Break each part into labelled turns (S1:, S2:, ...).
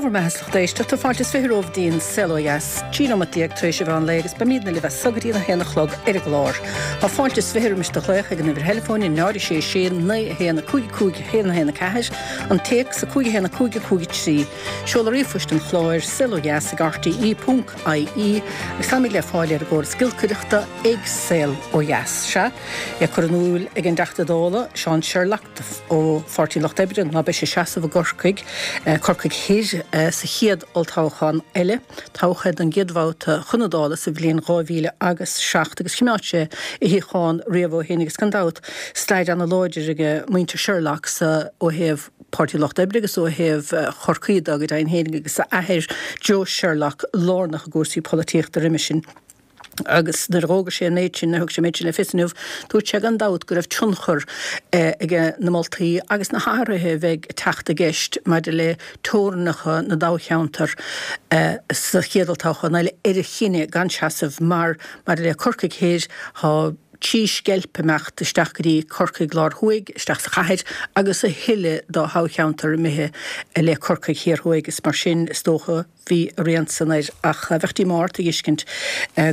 S1: Dé bhur mbeatha is lucht éisteachta, fáilte is 20 romhaibh dtí'n Saol Ó Dheas, 13 nóimeat tar éis an mheán lae agus beimídne libh as so go dtí a haon a chlog ar an gclár. Tá fáilte is 20 roimis do ghlaoch ag an uimhir theileafóin 0 6 6 9 1 5 5 1 1 4, an téacs 5 1 5 5 3, seoladh ríomhphoist an chláir, saolodheas ag rte ponc ie, agus táimid le fáil ar an gcóras giolcaireachta ag Saol Ó Dheas. Sea, é curtha in iúl ag an dTeachta Dála, Seán Sherlock, ó Pháirtí an Lucht Oibre ná beidh sé ag seasamh i gCorcaigh, Corcaigh Thoir, sa chéad olltoghchán eile, toghadh é don gcéad bhabhta chun na Dála sa bhliain 2000 agus 7 agus choimeád sé a shuíochán riamh ó shin agus gan dabht stair ana láidir ag muintir Sherlock sa ó thaobh Páirtí an Lucht Oibre agus ó thaobh Chorcaí de go deimhin féin agus a athair Joe Sherlock lárnach i gcúrsaí polaitíochta roimhe sin. Agus nuair a dh'fhógair sé an méid sin, nuair a thug sé an méid sin le fios inniu, dúirt sé gan dabht go raibh tionchar ag na moltaí agus na hathruithe a bheidh ag teacht i gceist maidir le teorainneacha na dtoghcheantar sa chéad olltoghchán eile ar a chinneadh gan seasamh mar maidir le Corcaigh Thoir tá trí sceilp imeacht isteach go dtí Corcaigh Lár Thuaidh, isteach sa chathair agus a thuilleadh dá thoghcheantar imithe le Corcaigh Thiar Thuaidh is mar sin is dócha Bhí a rian san air ach bheadh díomá ort a dh'fheiscint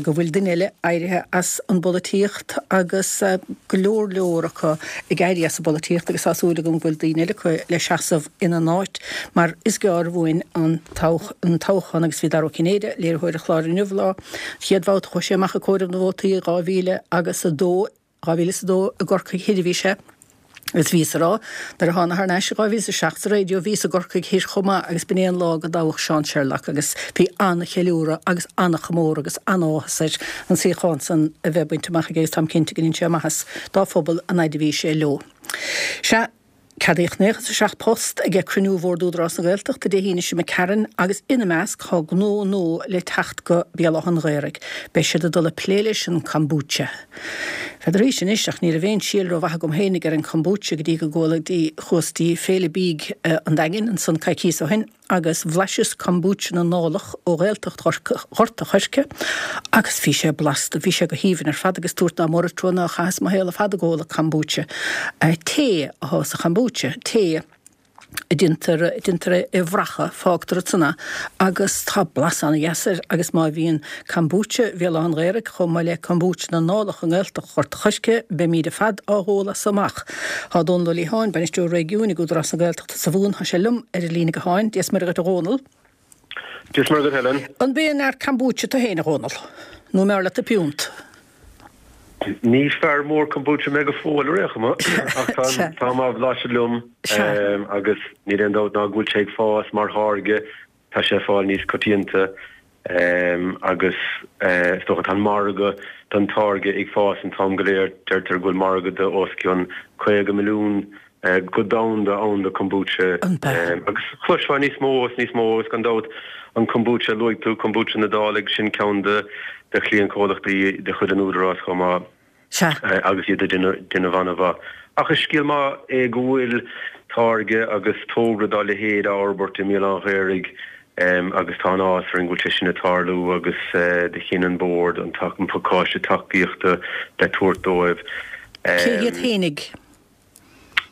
S1: go bhfuil duine eile éirithe as an bpolaitíocht agus go leor leor acu ag éirí as an bpolaitíocht agus tá súil agam go bhfuil daoine eile acu le seasamh ina n-áit mar is gearr uainn an toghchán agus bhí Dara Ó Cinnéide, léiritheoir an chláir inniu, lá an chéad bhabhta chuaigh sé amach ag comhaireamh na vótaí i 2002. 2002 i gCorcaigh Thoir a bhí sé agus bhíos a rá nuair a thána thar n-ais i 2007 sa raidió bhíos i gCorcaigh Thoir chomh maith agus b'in é an lá go dtoghadh Seán Sherlock agus bhí an-cheiliúradh agus an-chomóradh agus an-áthas air an suíochán san a bheith bainte amach aige agus táim cinnte go ndein sé maitheas dá phobal an fhaid a bhí sé leo. Sea. Ceadaíodh 97 post ag cruinniú Bhord Údarás na Gaeltachta Dé hAoine seo imigh tharainn agus ina measc tá gnó nua le teacht go Béal Átha an Ghaorthaidh. Beidh siad ag dul ag plé leis an kombucha. N'fheadar dhaoibhse anois ach ní raibh aon síol rómhaith agam féinig ar an kombucha go dtí go gcuala dtí chuas dtí Féile Bídh an Daingin ansan coicíos ó shin. agus bhlaiseas kombucha na nDálach ó Ghaeltacht Ghort a' Choirce agus bhí sé blasta, bhí sé go haoibhinn ar fad agus dúirt ná mór an trua nár chaitheas mo shaol ar fad ag ól kombucha. Tae atá sa chombucha, tae a déantar, a déantar é a bhrachadh, fágtar ansan é agus tá blas ana-dheas air agus má bhíonn kombucha Bhéal Átha an Ghaorthaidh chomh maith le kombucha na nDálach i nGaeltacht Ghort a' Choirce, beimíd ar fad á dh'ól as so amach. Tá Dónal Ó Liatháin, Bainisteoir Réigiúin ag Údarás na Gaeltachta sa Mhumhain, tá sé liom ar an líne gutháin. Dia is Muire dhuit a Dhónaill.
S2: Dia is Muire dhuit Helen.
S1: An b'aon fhear kombucha tú féin a Dhónaill? Nó an mb'fhearr leat do phiúnt?
S2: Ní fear mór kombucha mé go fóill ar aon chuma ach táim á bhlaiseadh liom agus níl aon dabht ná go bhfuil sé ag fás mar tháirge Tá sé ag fáil níos coitianta agus is dócha tá an margadh don táirge ag fás an t-am go léir. Deirtear go bhfuil margadh de os cionn 50 milliún go domhanda ann do kombucha agus chloisfeá níos mó is níos mó agus gan dabht an kombucha a luaigh tú, kombucha na Dálaigh, sin ceann de chliantchomhlachtaí de chuid an Údaráis chomh maith.
S1: Sea.
S2: agus iad ag déanamh an-mhaith. Ach is scéal maith é go bhfuil táirge agus togra dá leithéid á fhorbairt i mBéal Átha an Ghaorthaidh agus tá an-áthas orainn go bhfuil sé sin ag tarlú agus do chinn an Bord an pacáiste tacaíochta le tabhairt dóibh.
S1: Cé hiad fhéinig?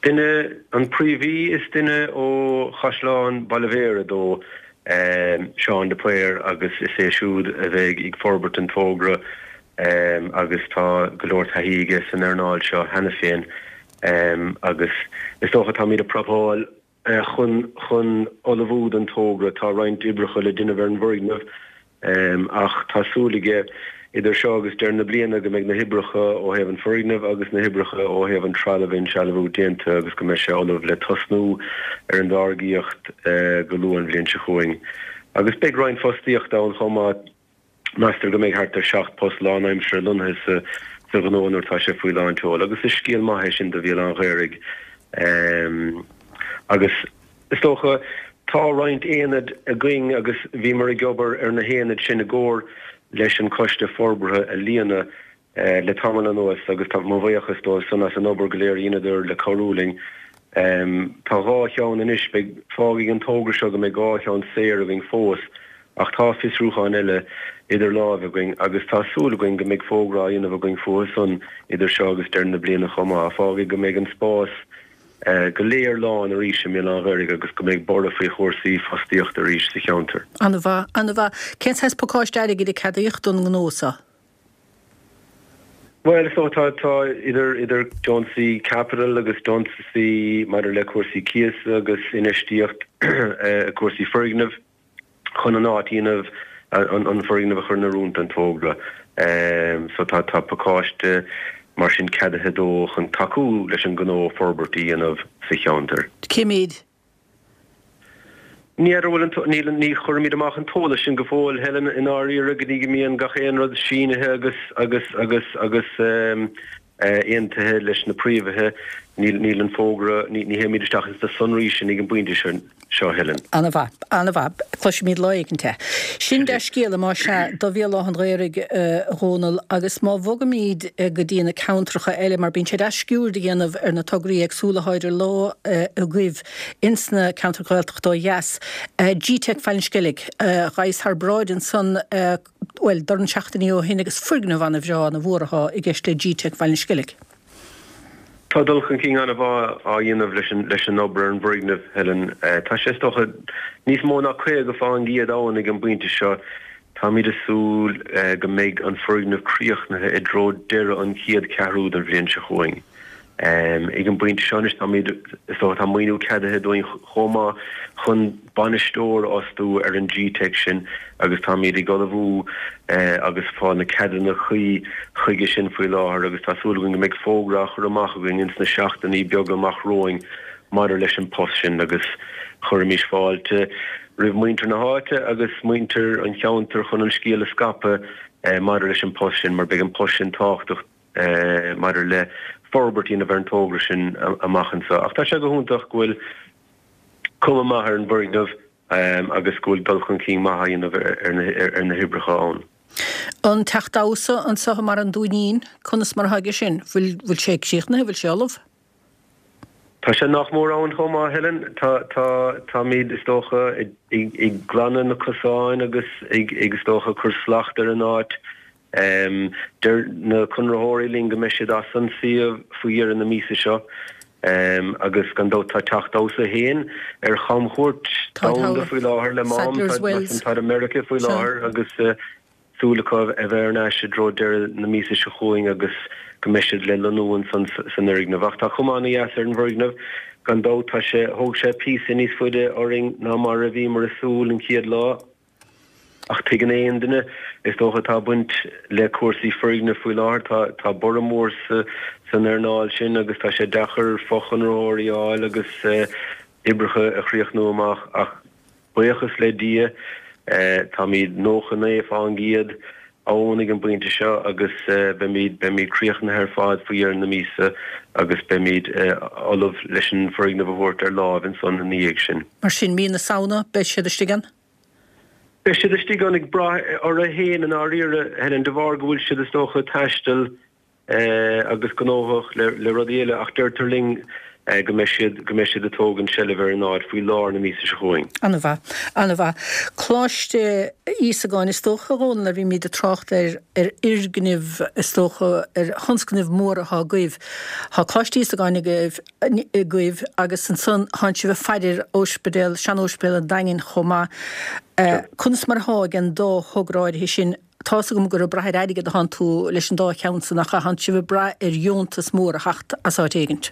S2: Duine, an príomhaí, is duine ó Chaisleán Bhaile Bhéarra dó, Seán de Paor, agus is é siúd a bheidh ag forbairt an togra agus tá go leor taithí aige san earnáil seo cheana féin agus is dócha táimid ag prapáil chun chun ullmhú don togra. Tá roinnt oibreacha le déanamh ar an bhfoirgneamh ach tá súil aige idir seo agus deireadh na bliana go mbeidh na hoibreacha ó thaobh an foirgnimh agus na hoibreacha ó thaobh an trealamh a insealbhú déanta agus go mbeidh sé ullamh le tosnú ar an dtáirgíocht go luath an bhliain seo chugainn. Agus beidh roinnt fostaíochta ann chomh maith. Meastar go mbeidh thart ar 7 post lánaimseartha lonnaithe sa ghnó nuair atá sé faoi lánseol agus is scéal maith é sin do Bhéal Átha an Ghaorthaidh. Agus is dócha, tá roinnt aonad againn agus bhíomar ag obair ar na haonaid sin i gcomhar leis an Choiste Forbartha a líonadh le tamall anuas agus tá mo bhuíochas dóibh san as an obair go léir a dheineadar le cabhrú linn. Tá dhá cheann anois, beidh, fágfaidh an togra seo go mbeidh dhá cheann saor againn fós ach tá fiosrúcháin eile idir láimhe againn agus tá súil againn go mbeidh fógra á dhéanamh againn fúthu san idir seo agus deireadh na bliana chomh maith. Fágfaidh go mbeidh an spás. go léir lán arís i mBéal Átha an Ghaorthaidh agus go mbeidh borradh faoi chúrsaí fostaíochta arís sa cheantar.
S1: An-mhaith, an-mhaith. Cén saghas pacáiste airgid a ceadaíodh don ngnó seo?
S2: Bhuel, is dócha tá, tá idir, idir deontaisí caipitil agus deontaisí maidir le cúrsaí cíosa agus infheistíocht i cúrsaí foirgneamh. chun an áit a dhéanamh, an foirgneamh a chur in oiriúint don togra. So tá tá pacáiste mar sin ceadaithe dó chun tacú leis an ngnó forbairt a dhéanamh sa cheantar.
S1: Cé mhéid?
S2: Ní fheadar bhfuil an, níl, ní chuirimid amach an t-eolas sin go fóill, Helen, i ndáiríre, go dtí go mbíonn gach aon rud sínithe agus, agus, agus, agus aontaithe leis na príomhaithe. Níl, níl an fógra, ní, ní théimid isteach ins na sonraí sin ag an bpointe seo, Helen.
S1: Ana-mhaith, ana-mhaith. Cloisfimid lá éicint é. Sin dea-scéala, más ea, do Bhéal Átha an Ghaorthaidh, a Dhónaill, agus má bhogaimid go dtí na ceantracha eile, mar bíonn sé deas sciuird a dhéanamh ar na tograí éagsúla atá idir lámha agaibh ins na ceantair Ghaeltachta ó dheas. Gteic Bhaile an Sceilg, ghabhas thar bráid ansan, bhuel, dornán seachtainí ó shin agus foirgneamh ana-bhreá, ana-mhór atá i gceist le Gteic Bhaile an Sceilg.
S2: Tá dul chun cinn an-mhaith á dhéanamh leis an obair ar an bhfoirgneamh, Helen. Tá sé, is dócha, níos mó ná 50% ann ag an bpointe seo. Táimid ag súil go mbeidh an foirgneamh críochnaithe i dtreo deireadh an chéad cheathrú den bhliain seo chugainn. Ag an bpointe seo anois táimid, is dócha, tá maoiniú ceadaithe dúinn chomh maith chun bainisteoir a fhostú ar an Gteic sin agus táimid ag ullmhú agus fáil na ceadanna cuí chuige sin faoi láthair agus tá súil againn go mbeidh fógra á chur amach againn ins na seachtainí beaga amach romhainn maidir leis an post sin agus chuirfimis fáilte roimh muintir na háite agus muintir an cheantair chun an scéal a scaipeadh maidir leis an post sin mar beidh an post sin tábhachtach maidir le forbairt a dhéanamh ar an togra sin amach anseo. Ach tá sé go hiontach go bhfuil cuma maith ar an bhfoirgneamh agus go bhfuil dul chun cinn maith á dhéanamh ar na hoibreacha ann.
S1: An teach damhsa anseo i mBarra an Dúinín, conas mar atá aige sin? Bhfuil bhfuil sé críochnaithe, bhfuil sé ullamh?
S2: Tá sé nach mór ann chomh maith, Helen. Tá, tá, táimid, is dócha, ag, ag glanadh na cosáin agus ag, ag, is dócha, cur slacht ar an áit. Deir na conraitheoirí linn go mbeidh siad as an suíomh faoi dheireadh na míosa seo agus gan dabht tá Teach Damhsa féin ar chamchuairt domhanda faoi láthair le Mám, tá i Meiriceá faoi láthair agus súil acu a bheith ar ais i dtreo deireadh na míosa seo chugainn agus go mbeidh siad le lonnú ansan san fhoirgneamh. Ach tá cuma ana-dheas ar an bhfoirgneamh gan dabht. Tá sé, thóg sé píosa níos faide orainn ná mar a bhíomar ag súil an chéad lá. Ach tuigeann aon duine, is dócha, atá ag baint le cúrsaí foirgneamh faoi láthair, tá tá borradh mór sa san earnáil sin agus tá sé deacair fochonraitheoirí a fháil agus oibreacha a chríochnú amach ach buíochas le Dia táimid 99% ann ag an bpointe seo agus beimid beimid críochnaithe ar fad faoi dheireadh na míosa agus beimid ullamh leis an foirgneamh a thabhairt ar láimh ansan ina dhiaidh sin.
S1: Mar sin, mí na Samhna, beidh siad istigh ann?
S2: Beidh siad istigh ann ag brath orthu féin i ndáiríre, Helen, de bharr go bhfuil siad is dócha ag taisteal agus gnóthach le rudaí eile ach deirtear linn go mbeidh siad go mbeidh siad ag tógaint seilbh ar an áit faoi lár na míosa seo chugainn.
S1: An-mhaith. An-mhaith. Coláiste Íosagáin, is dócha, a Dhónaill, nuair a bhímid ag trácht ar ar fhoirgnimh, is dócha, ar thionscnaimh mhóra atá agaibh. Tá Coláiste Íosagáin agaibh, agaibh agus ansan tánn sibh ag faire ar Ospidéal, sean-Ospidéal an Daingin chomh maith. Conas mar athá ag an dá thogra áirithe sin? Tá's agam gur ag brath ar airgead athánn tú leis an dá cheann san ach athánn sibh ag brath ar dheontas mór a theacht as áit éigint?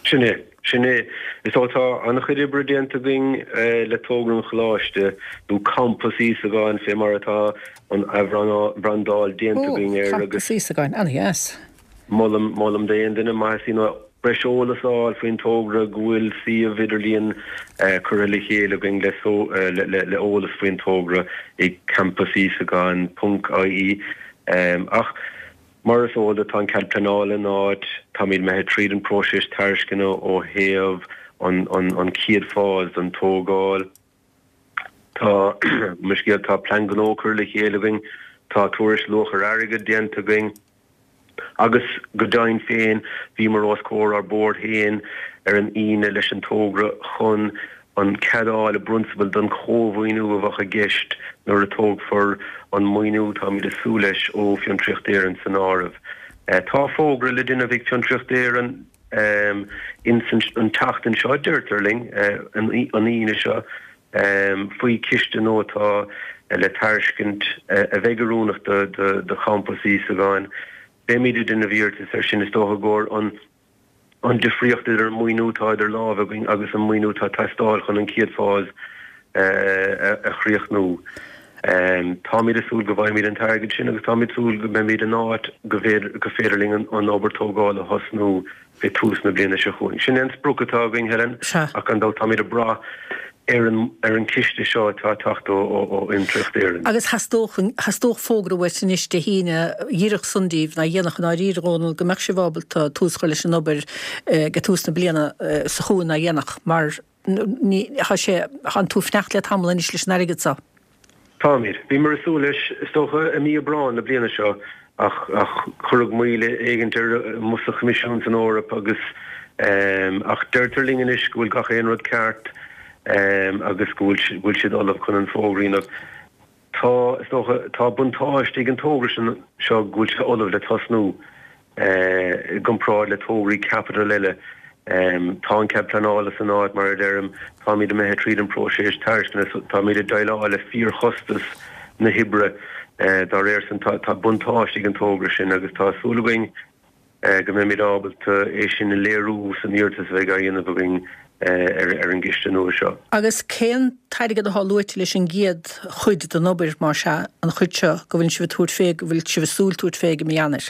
S2: Sin é. Sin é. Is dócha tá an-chuid oibre déanta againn le togra an Choláiste, nó Campas Íosagáin fé mar atá an athbhrandáil déanta againn air
S1: agus. Ó, Campas Íosagáin, an-dheas.
S2: Molaim, molaim d'aon duine, maith is nó breis eolas a fháil faoin togra go bhfuil suíomh idirlíon curtha le chéile againn le le eolas faoin togra ag campusíosagáin ponc ie. Ach mar is eol duit tá an cead pleanála in áit, táimid imithe tríd an próiseas tairisceana ó thaobh an an chéad phase den tógáil. Tá, mo scéal, tá plean gnó curtha le chéile againn, tá tuairisc luach ar airgead déanta againn agus go deimhin féin bhíomar os comhair ár bord féin ar an Aoine leis an togra chun an cead a fháil i bprionsabal don chómhaoiniú a bheadh i gceist nuair a tógfar an maoiniú táimid ag súil leis ó Fiontraíocht Éireann san áireamh. Tá fógra le déanamh ag Fiontraíocht Éireann. Ins an tseachtain seo, deirtear linn, an Aoine seo, faoi chiste nua atá le tairiscint a bheidh oiriúnach do Champas Íosagáin. Beimid ag déanamh iarratas air sin, is dócha, i gcomhair an an difríocht idir an maoiniú atá idir lámha againn agus an maoiniú atá ag teastáil chun an chéad phase a chríochnú. Táimid ag súil go bhfaighimid an t-airgead sin agus táimid ag súil go mbeimid in áit go féidir linn an obair tógála a thosnú fé tús na bliana seo chugainn. Sin é an sprioc atá againn, Helen, ach gan dabht táimid ag brath ar an ar an chiste seo atá ag teacht ó ó Fhiontraíocht Éireann.
S1: Agus theastódh theastódh fógra uait anois Dé hAoine, dhíreach san díbh, ná dhéanach i ndáiríre, a Dhónaill, go mbeadh sibh ábalta tús a chur leis an obair ag tús na bliana seo chugainn ná dhéanach, mar ní, tá sé, tánn tú ag fanacht le tamall anois leis an airgead seo.
S2: Táimid. Bhíomar ag súil leis, is dócha, i mí Aibreáin na bliana seo ach cuireadh moill éigint air amuigh sa Choimisiún san Eoraip agus ach deirtear linn anois go bhfuil gach aon rud ceart agus go bhfuil siad ullamh chun an fógra a dhéanamh. Tá, is dócha, tá buntáiste ag an togra seo go bhfuil sé ullamh le tosnú. I gcomparáid le tograí caipitil eile, tá an cead pleanála san áit, mar a deirim, táimid imithe tríd an bpróiseas tairisceana, táimid ag déileáil le fíorchostas na hoibre. Dá réir sin, tá buntáiste ag an togra sin agus tá súil againn go mbeimid ábalta é sin a léiriú san iarratas a bheidh á dhéanamh againn ar an gciste nua seo.
S1: Agus cén t-airgead atá luaite leis an gcéad chuid den obair, más ea, an chuid seo go bhfuil sibh ag tabhairt fé, go bhfuil sibh ag súil tabhairt fé i mí Eanáir?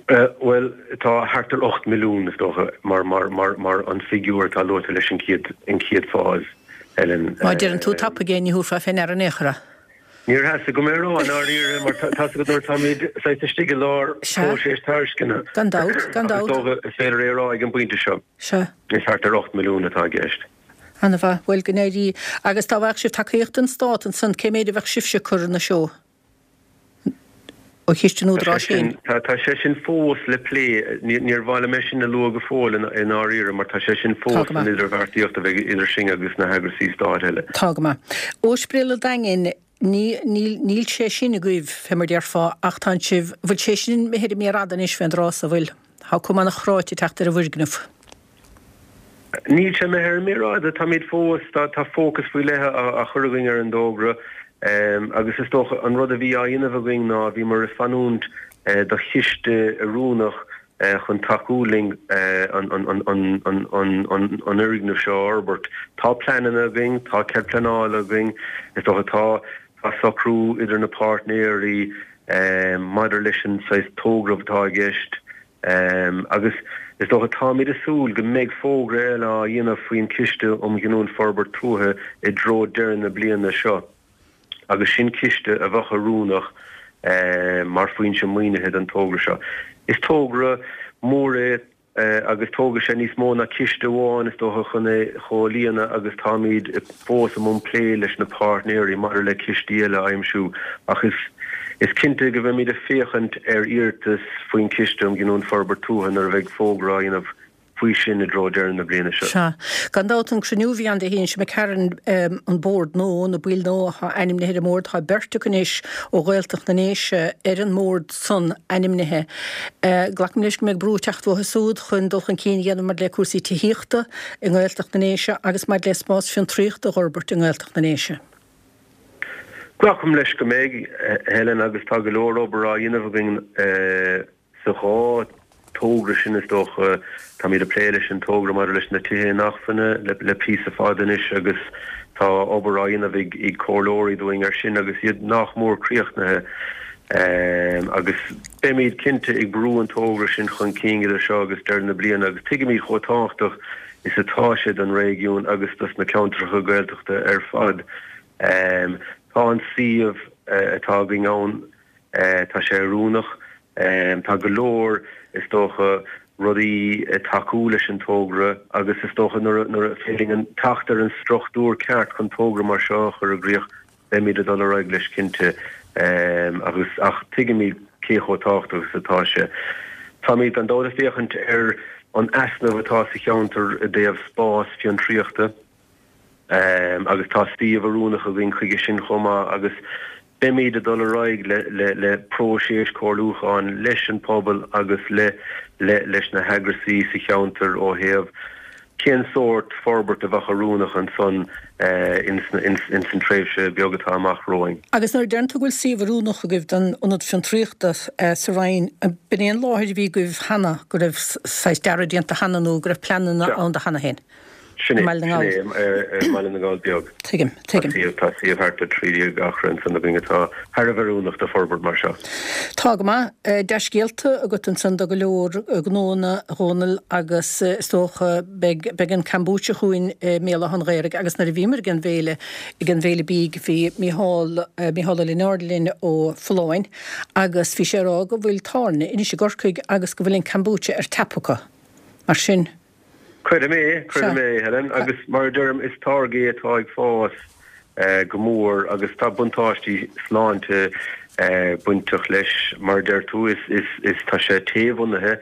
S2: Bhuel, tá thart ar 8 milliún, is dócha, mar, mar, mar, mar an figiúr atá luaite leis an chéad, an chéad phase, Helen.
S1: Má deireann tú tapaidh é, ní thabharfá fé ndeara in aon chor é.
S2: Níor theastaigh uaim é a rá, i ndáiríre, mar tá 's agat nuair atáimid saghas istigh i lár próiseas tairisceana.
S1: Gan dabht, gan
S2: dabht. Ach is dócha is féidir é a rá ag an bpointe seo.
S1: Sea.
S2: Is thart ar 8 milliún atá i gceist.
S1: Ana-mhaith. Bhuel, go n-éirí. Agus dá bhfaigheadh sibh tacaíocht den Stát ansan, cé méid a bheadh sibhse ag cur ina seó? Ó chiste an Údaráis féin.
S2: Tá sé sin fós le plé. Níor mhaith liom é sin a lua go fóill i ndáiríre mar tá sé sin fós san idirbheartaíocht a bheidh idir sinn agus na heagrasaí stáit eile.
S1: Tá go maith. Ospidéal an Daingin, ní, níl, níl sé sin agaibh, fé mar déarfá, ach tánn sibh, bhfuil sé sin imithe ar an méar fhada anois fén dtráth so, bhfuil? Tá cuma an-chráite ag teacht ar an bhfoirgneamh.
S2: Níl sé imithe ar an méar fhada. Táimid fós, tá fócas faoi leith á chur againn ar an dtógra agus is dócha an rud a bhí á dhéanamh againn ná bhíomar ag fanúint do chiste oiriúnach chun tacú linn an fhoirgneamh seo a fhorbairt. Tá pleananna againn, tá cead pleanála againn, is dócha tá tá socrú idir na páirtnéirí maidir leis an saghas togra atá i gceist. Agus is dócha, táimid ag súil go mbeidh fógra eile á dhéanamh faoin Chiste um Ghiniúint Forbairt Tuaithe i dtreo deireadh na bliana seo, agus sin ciste a bheadh oiriúnach mar foinse maoinithe don togra seo. Is togra mór é agus tógfaidh sé níos mó ná ciste amháin, is dócha, chun é a chomhlíonadh agus táimid fós i mbun plé leis na páirtnéirí maidir le cistí eile a aimsiú ach is Is cinnte go mbeimid ag féachaint ar iarratas faoin Chiste um Ghiniúint Forbairt Tuaithe nuair a bheidh fógra á dhéanamh faoi sin i dtreo deireadh na bliana seo.
S1: Sea. Gan dabht, an cruinniú a bhí ann Dé hAoine seo imigh tharainn, an bord nua, na baill nua atá ainmnithe ar an mbord, tá beirt acu anois ó Ghaeltacht na nDéise ar an mbord san ainmnithe. Glacaim leis go mbeidh brú ag teacht uathu súd chun dul chun cinn a dhéanamh maidir le cúrsaí tithíochta i nGaeltacht na nDéise agus maidir le spás fiontraíochta a dh'fhorbairt i nGaeltacht na nDéise.
S2: Glacaim leis go mbeidh, Helen, agus tá go leor obair á dhéanamh againn sa dhá togra sin, is dócha. Táimid ag plé leis an togra maidir leis na tithe inacmhainne le píosa fada anois agus tá obair á dhéanamh ag comhairleoirí dúinn air sin agus iad nach mór críochnaithe. Agus beimid cinnte ag brú an togra sin chun cinn idir seo agus deireadh na bliana agus tuigimid chomh tábhachtach is atá sé don réigiún agus dos na ceantracha Gaeltachta ar fad. Tá an suíomh atá againn ann, tá sé oiriúnach. Tá go leor, is dócha, rudaí ag tacú leis an togra agus is dócha nuair a féidir linn teacht ar an struchtúr ceart chun togra mar seo a chur i gcrích, Beimid ag dul ar aghaidh leis cinnte agus ach tuigimid cé chomh tábhachtach is atá sé. Táimid gan dabht ag féachaint ar an easnamh atá sa cheantar i dtaobh spás fiontraíochta agus tá suíomh oiriúnach againn chuige sin chomh maith agus. Beimid ag dul ar aghaidh le le próiseas comhairliúcháin leis an pobal agus le le leis na heagrasaí sa cheantar ó thaobh cén sórt forbairt a bheadh oiriúnach ansan ins an tréimhse beag atá amach romhainn.
S1: Agus nuair a deireann tú go bhfuil suíomh oiriúnach agaibh don Ionad Fiontraíochta sa Rinn, b'in é an láthair a bhí agaibh cheana, go raibh saghas dearadh déanta cheana nó go raibh pleananna ann do cheana féin?
S2: Sin é, sin é, i mBaile na nGall Beag.
S1: Tuigim, tuigim.
S2: Tá suíomh thart ar 13 acra ansan againn atá thar a bheith oiriúnach do forbairt mar seo.
S1: Tá go maith. Dea-scéalta agat ansan do go leor gnóanna, a Dhónaill, agus is dócha beidh, beidh an Kombucha chugainn i mBéal Átha an Ghaorthaidh agus nuair a bhíomar ag an bhféile, ag an bhféile bídh, bhí Mícheál, Mícheál Ó Lionáird linn ó Folláin agus bhí sé ag rá go bhfuil tábhairne anois i gCorcaigh agus go bhfuil an Kombucha ar tap acu. Mar sin.
S2: Creidim é, creidim é, Helen, agus mar a deirim, is táirge é atá ag fás go mór agus tá buntáistí sláinte bainteach leis, mar a deir tú, is, is, is, tá sé tae-bhunaithe,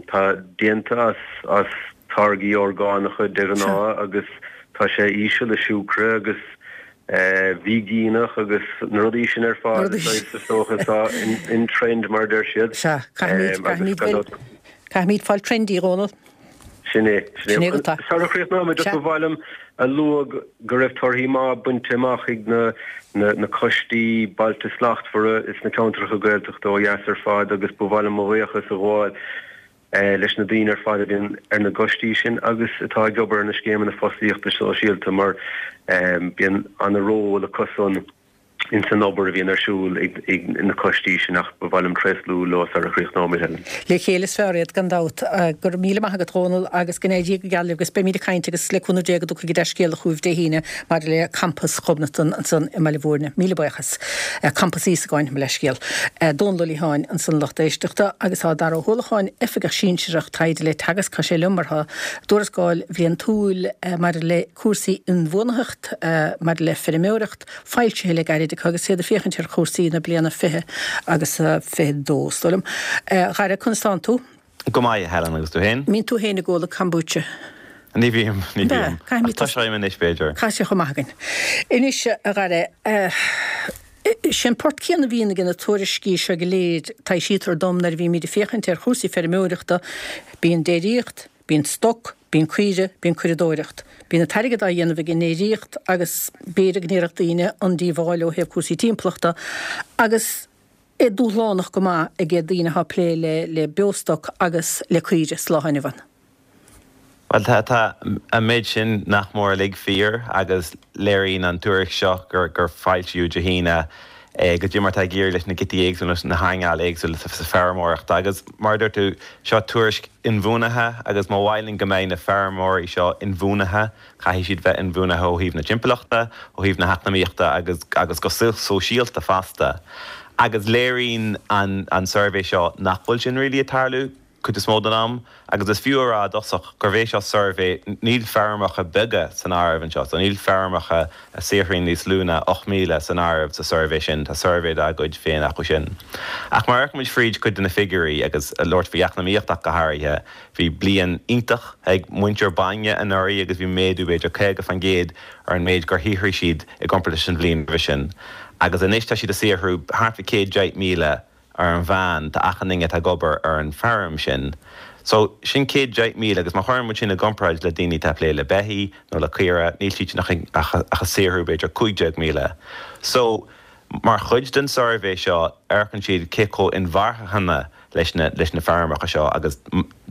S2: tá déanta as, as táirgí orgánacha de ghnáth agus tá sé íseal i siúcra agus veigeánach agus na rudaí sin ar fad, is dócha atá in trend mar a deir siad.
S1: Sea, caithfimid, caithfimid, caithfimid fáil trendy, a Dhónaill.
S2: Sin é, sin é. Sara chríochnóimid, just ba mhaith liom a lua go raibh torthaí maith bainte amach ag na na coistí Bailte Slachtmhara sna ceantracha Gaeltachta ó dheas ar fad agus ba mhaith liom mo bhuíochas a ghabháil leis na daoine ar fad a bhíonn ar na gcoistí sin agus atá ag obair ar na scéimeanna fostaíochta sóisialta mar bíonn ana-ról acusan ins an obair a bhíonn ar siúl ag na coistí sin ach ba mhaith liom tréaslú leo sar a chríochnóimid,
S1: Helen. Le chéile is fearr iad, gan dabht. Go raibh míle maith agat, Dhónaill, agus go n-éirí go geal libh agus beimid ag caint agus le cúnamh Dé go dtiocfaidh an dea-scéala chugaibh Dé hAoine maidir le Campas Ghobnatan ansan i mBaile Bhúirne. Míle buíochas. Campas Íosagáin, mo leithscéal. Dónall Ó Liatháin ansan lucht éisteachta agus tá Dara Ó hUallacháin, Oifigeach Sinsearach Taighde le Teagasc, tá sé liom mar tá tuarascáil bhliantúil maidir le cúrsaí inbhuanaitheacht, maidir le feirmeoireacht, foilsithe le gairid acu agus iad ag féachaint ar chúrsaí na bliana 20 agus 22, is dóigh liom. A Dhara, conas tánn tú?
S3: Go maith, a Helen, agus tú
S1: féin? Mbíonn tú féin ag ól an kombucha?
S3: Ní bhím, ní bhím. Ach toiseoidh mé anois, b'fhéidir.
S1: Tá sé chomh maith againn. Anois, a Dhara, sé an port céanna a bhíonn ag na tuairiscí seo go léir, taibhsítear dom nuair a bhímid ag féachaint ar chúrsaí feirmeoireachta, bíonn déiríocht, bíonn stoc, bíonn caoire, bíonn curadóireacht. Bíonn an t-airgead á dhéanamh ag an ndéiríocht agus b'fhéidir go ndéarfadh daoine an díobháil ó thaobh cúrsaí timpeallachta agus, é dúshlánach go maith ag daoine atá ag plé le beostoc agus le caoire sa lá inniu ann.
S3: Bhuel, tá, tá an méid sin nach mór uilig fíor agus léiríonn an tuairisc seo gur, gur foilsíodh Dé hAoine goidé mar atá ag éirí leis na giotaí éagsúla, na hearnáil éagsúla sa feirmeoireacht agus mar a dúirt tú, seo tuairisc inbhuanaithe agus má mhaith linn go mbeidh na feirmeoirí seo inbhuanaithe, Caithfidh siad bheith inbhuanaithe ó thaobh na timpeallachta, ó thaobh na heacnamaíochta agus agus go sóisialta fosta. Agus léiríonn an an suirbhé seo nach bhfuil sin really ag tarlú cuid is mó den am. Agus is fiú a rá i dtosach gurb é seo suirbhé, níl feirmeacha beaga san áireamh anseo, so níl feirmeacha a saothraíonn níos lú ná 8,000 san áireamh sa suirbhé sin, tá suirbhé dá gcuid féin acu sin. Ach má amharcaimid fríd cuid de na figiúirí agus labhairt faoi eacnamaíocht ach go háirithe, Bhí bliain iontach ag muintir bainne anuraidh agus bhí méadú b'fhéidir 50% ar an méid gur shaothraigh siad i gcomparáid leis an bhliain roimhe sin. Agus anois tá siad ag saothrú thart fá 110,000 ar an mheán do achan duine atá ag obair ar an feirm sin. So, sin 110,000 agus má chuireann muid sin i gcomparáid le daoine atá ag plé le beithígh nó le caora, níl siad sin ach ag saothrú b'fhéidir 15,000. So, mar chuid den suirbhé seo, amharcann siad cé chomh inmharthana leis na leis na feirmeacha seo agus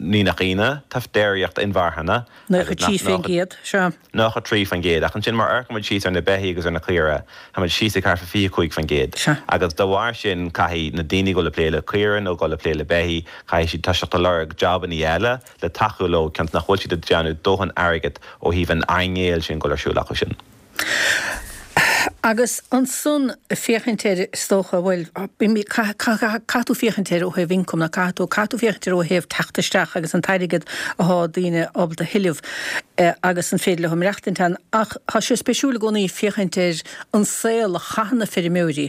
S3: ní nach ionadh, tá déiríocht inmharthana
S1: agus 93%, sea.
S3: 93%, ach ansin má amharcann muid síos ar na beithígh agus ar na caora, tá muid síos ag thart fá 25%.
S1: Sea.
S3: Agus dá bharr sin caithfidh na daoine dul ag plé le caora nó dul ag plé le beithígh, caithfidh siad toiseacht ag lorg jabannaí eile le tacú leo cionn is nach bhfuil siad ag déanamh dóthain airgid ó thaobh an earnáil sin dul ar siúl acu sin.
S1: Agus ansan féachaint air, is dócha, bhuel, caithfidh tú féachaint air ó thaobh ioncaim, nó caithfidh tú, caithfidh tú féachaint air ó thaobh teacht isteach agus an t-airgead athá daoine ábalta a thuilleamh agus an féidir leo maireachtaint ann. Ach tá sé spéisiúil i gcónaí féachaint ar an saol a chaitheann na feirmeoirí.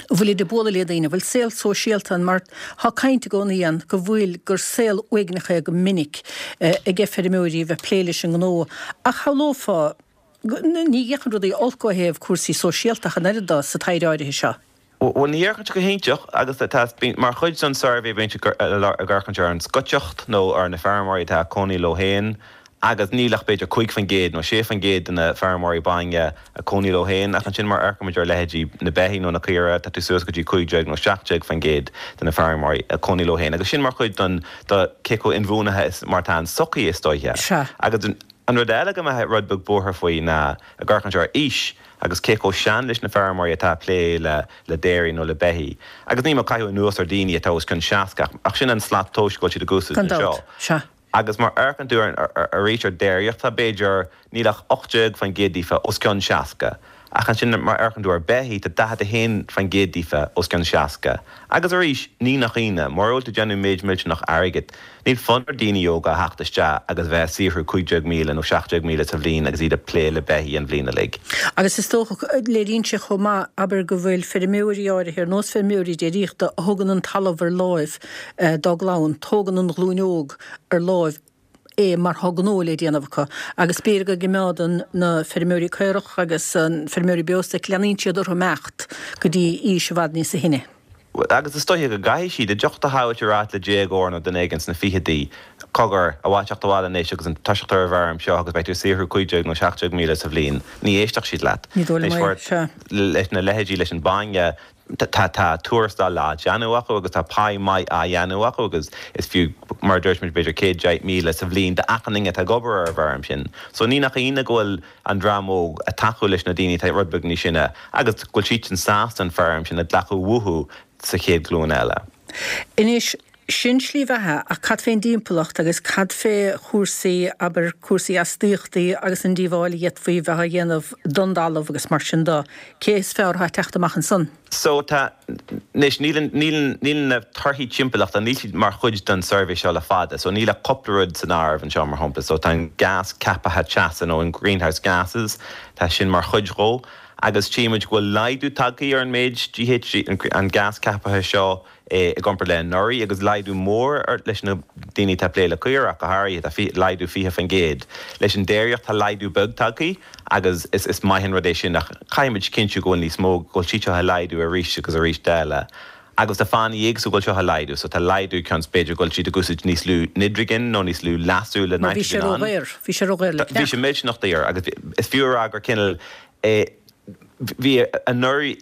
S1: An bhfuilid ag bualadh le daoine, an bhfuil saol sóisialta ann mar tá caint i gcónaí ann go bhfuil, gur saol uaigneach é go minic aige feirmeoirí a bheith ag plé leis an ngnó. Ach shamhlófá. Ní fhéachann rudaí olc ó thaobh cúrsaí sóisialta ach an oiread de sa taighde áirithe seo.
S3: Bhuel, ní fhéachann sé go hiontach agus tá, mar chuid den suirbhé bíonn siad ag amharc ar an scoiteacht nó ar na feirmeoirí atá ag cónaí leo féin agus níl ach b'fhéidir 5% nó 6% de na feirmeoirí bainne ag cónaí leo féin ach ansin mar amharcann muid ar leithéidí na beithí nó na caora tá tú suas go dtí 15 nó 17% de na feirmeoirí ag cónaí leo féin agus sin mar chuid den do cé chomh inbhuanaithe is mar atá an tsochaí is dóiche.
S1: Sea.
S3: Agus An rud eile go mbeadh rud beag buartha faoi ná ag amharc ar aois agus cé chomh sean leis na feirmeoirí atá ag plé le le dairy nó le beithí. Agus níl mé ag caitheamh anuas ar daoine atá os cionn 60 ach sin an slat tomhais go bhfuil siad ag úsáid
S1: Gan
S3: anseo.
S1: dabht, sea.
S3: Agus mar amharcann tú ar arís ar déiríocht tá b'fhéidir níl ach 18% díofa os cionn 60. Ach ansin mar amharcann tú ar beithí tá 41% díofa os cionn 60. Agus arís, ní nach ionadh, mura bhfuil tú ag déanamh méid millteanach airgid, níl fonn ar daoine óga a theacht isteach agus bheith ag saothrú 15,000 nó 17,000 sa bhliain agus iad ag plé le beithí an bhliain uilig.
S1: Agus is dócha, léiríonn sé chomh maith, abair, go bhfuil feirmeoirí áirithe, ar nós feirmeoirí déiríochta, a thugann an talamh ar láimh dá gclann, tógann an ghlúin óg ar láimh é mar tá gnó le déanamh acu agus b'fhéidir go gcimeádann na feirmeoirí caorach agus an feirmeoirí beostoic, leanaíonn siad orthu imeacht go dtí aois i bhfad níosa shine.
S3: Agus is dóiche go gcaithfidh siad, dá dtiocfá a ráit le déagóir nó duine éigin sna fichidí, cogar, ar mhaith teacht abhaile anois agus an toiseacht ar an bhfeirm seo agus beidh tú ag saothrú 15 nó 17,000 sa bhliain, ní éistfeadh siad leat.
S1: Ní dóigh liom é, sea.
S3: Leis na leithéidí leis an bainne, Tá tá tuarastal á dhéanamh acu agus tá pá maith á dhéanamh acu agus is fiú, mar a dúirt muid, b'fhéidir 110,000 sa bhliain d'achan duine atá ag obair ar an bhfeirm sin. So ní nach ionadh go bhfuil an dream óg ag tacú leis na daoine atá rud beag níos sine agus go bhfuil siadsan sásta an feirm sin a ghlacadh uathu sa chéad ghlúin eile.
S1: Anois, Sin slí bheatha, ach cad fén dtimpeallacht agus cad fé chúrsaí, abair, cúrsaí astaíochtaí agus an díobháil a d'fhéadfaí bheith á dhéanamh don dtalamh agus mar sin de? Cé is fearr atá ag teacht amach ansan?
S3: So tá, anois, níl an, níl an, níl na torthaí timpeallachta, níl siad mar chuid den suirbhé seo le fada, so níl ach cúpla rud san áireamh anseo, mar shampla. So tá an gás ceaptha teasa nó an greenhouse gases, tá sin mar chuid dhó agus tchímid go bhfuil laghdú tagtha ar an méid GHG, an gás ceaptha seo, i gcomparáid le anuraidh agus laghdú mór ar leis na daoine atá ag plé le caora ach go háirithe, tá laghdú 20%. Leis an déiríocht tá laghdú beag tagtha agus is is maith an rud é sin ach caithfimid cinntiú go bhfuil níos mó, go bhfuil siad seo ag laghdú arís agus arís eile. Agus tá fáthanna éagsúla go bhfuil seo ag laghdú, so tá laghdú cionn is b'fhéidir go bhfuil siad ag úsáid níos lú nidrigin nó níos lú leasú le
S1: Mar bhí sé
S3: nitrogen ann.
S1: ródhaor, bhí sé ródhaor le
S3: Bhí
S1: cneach.
S3: sé millteanach daor agus is fiú a rá gur cineál eh bhí anuraidh,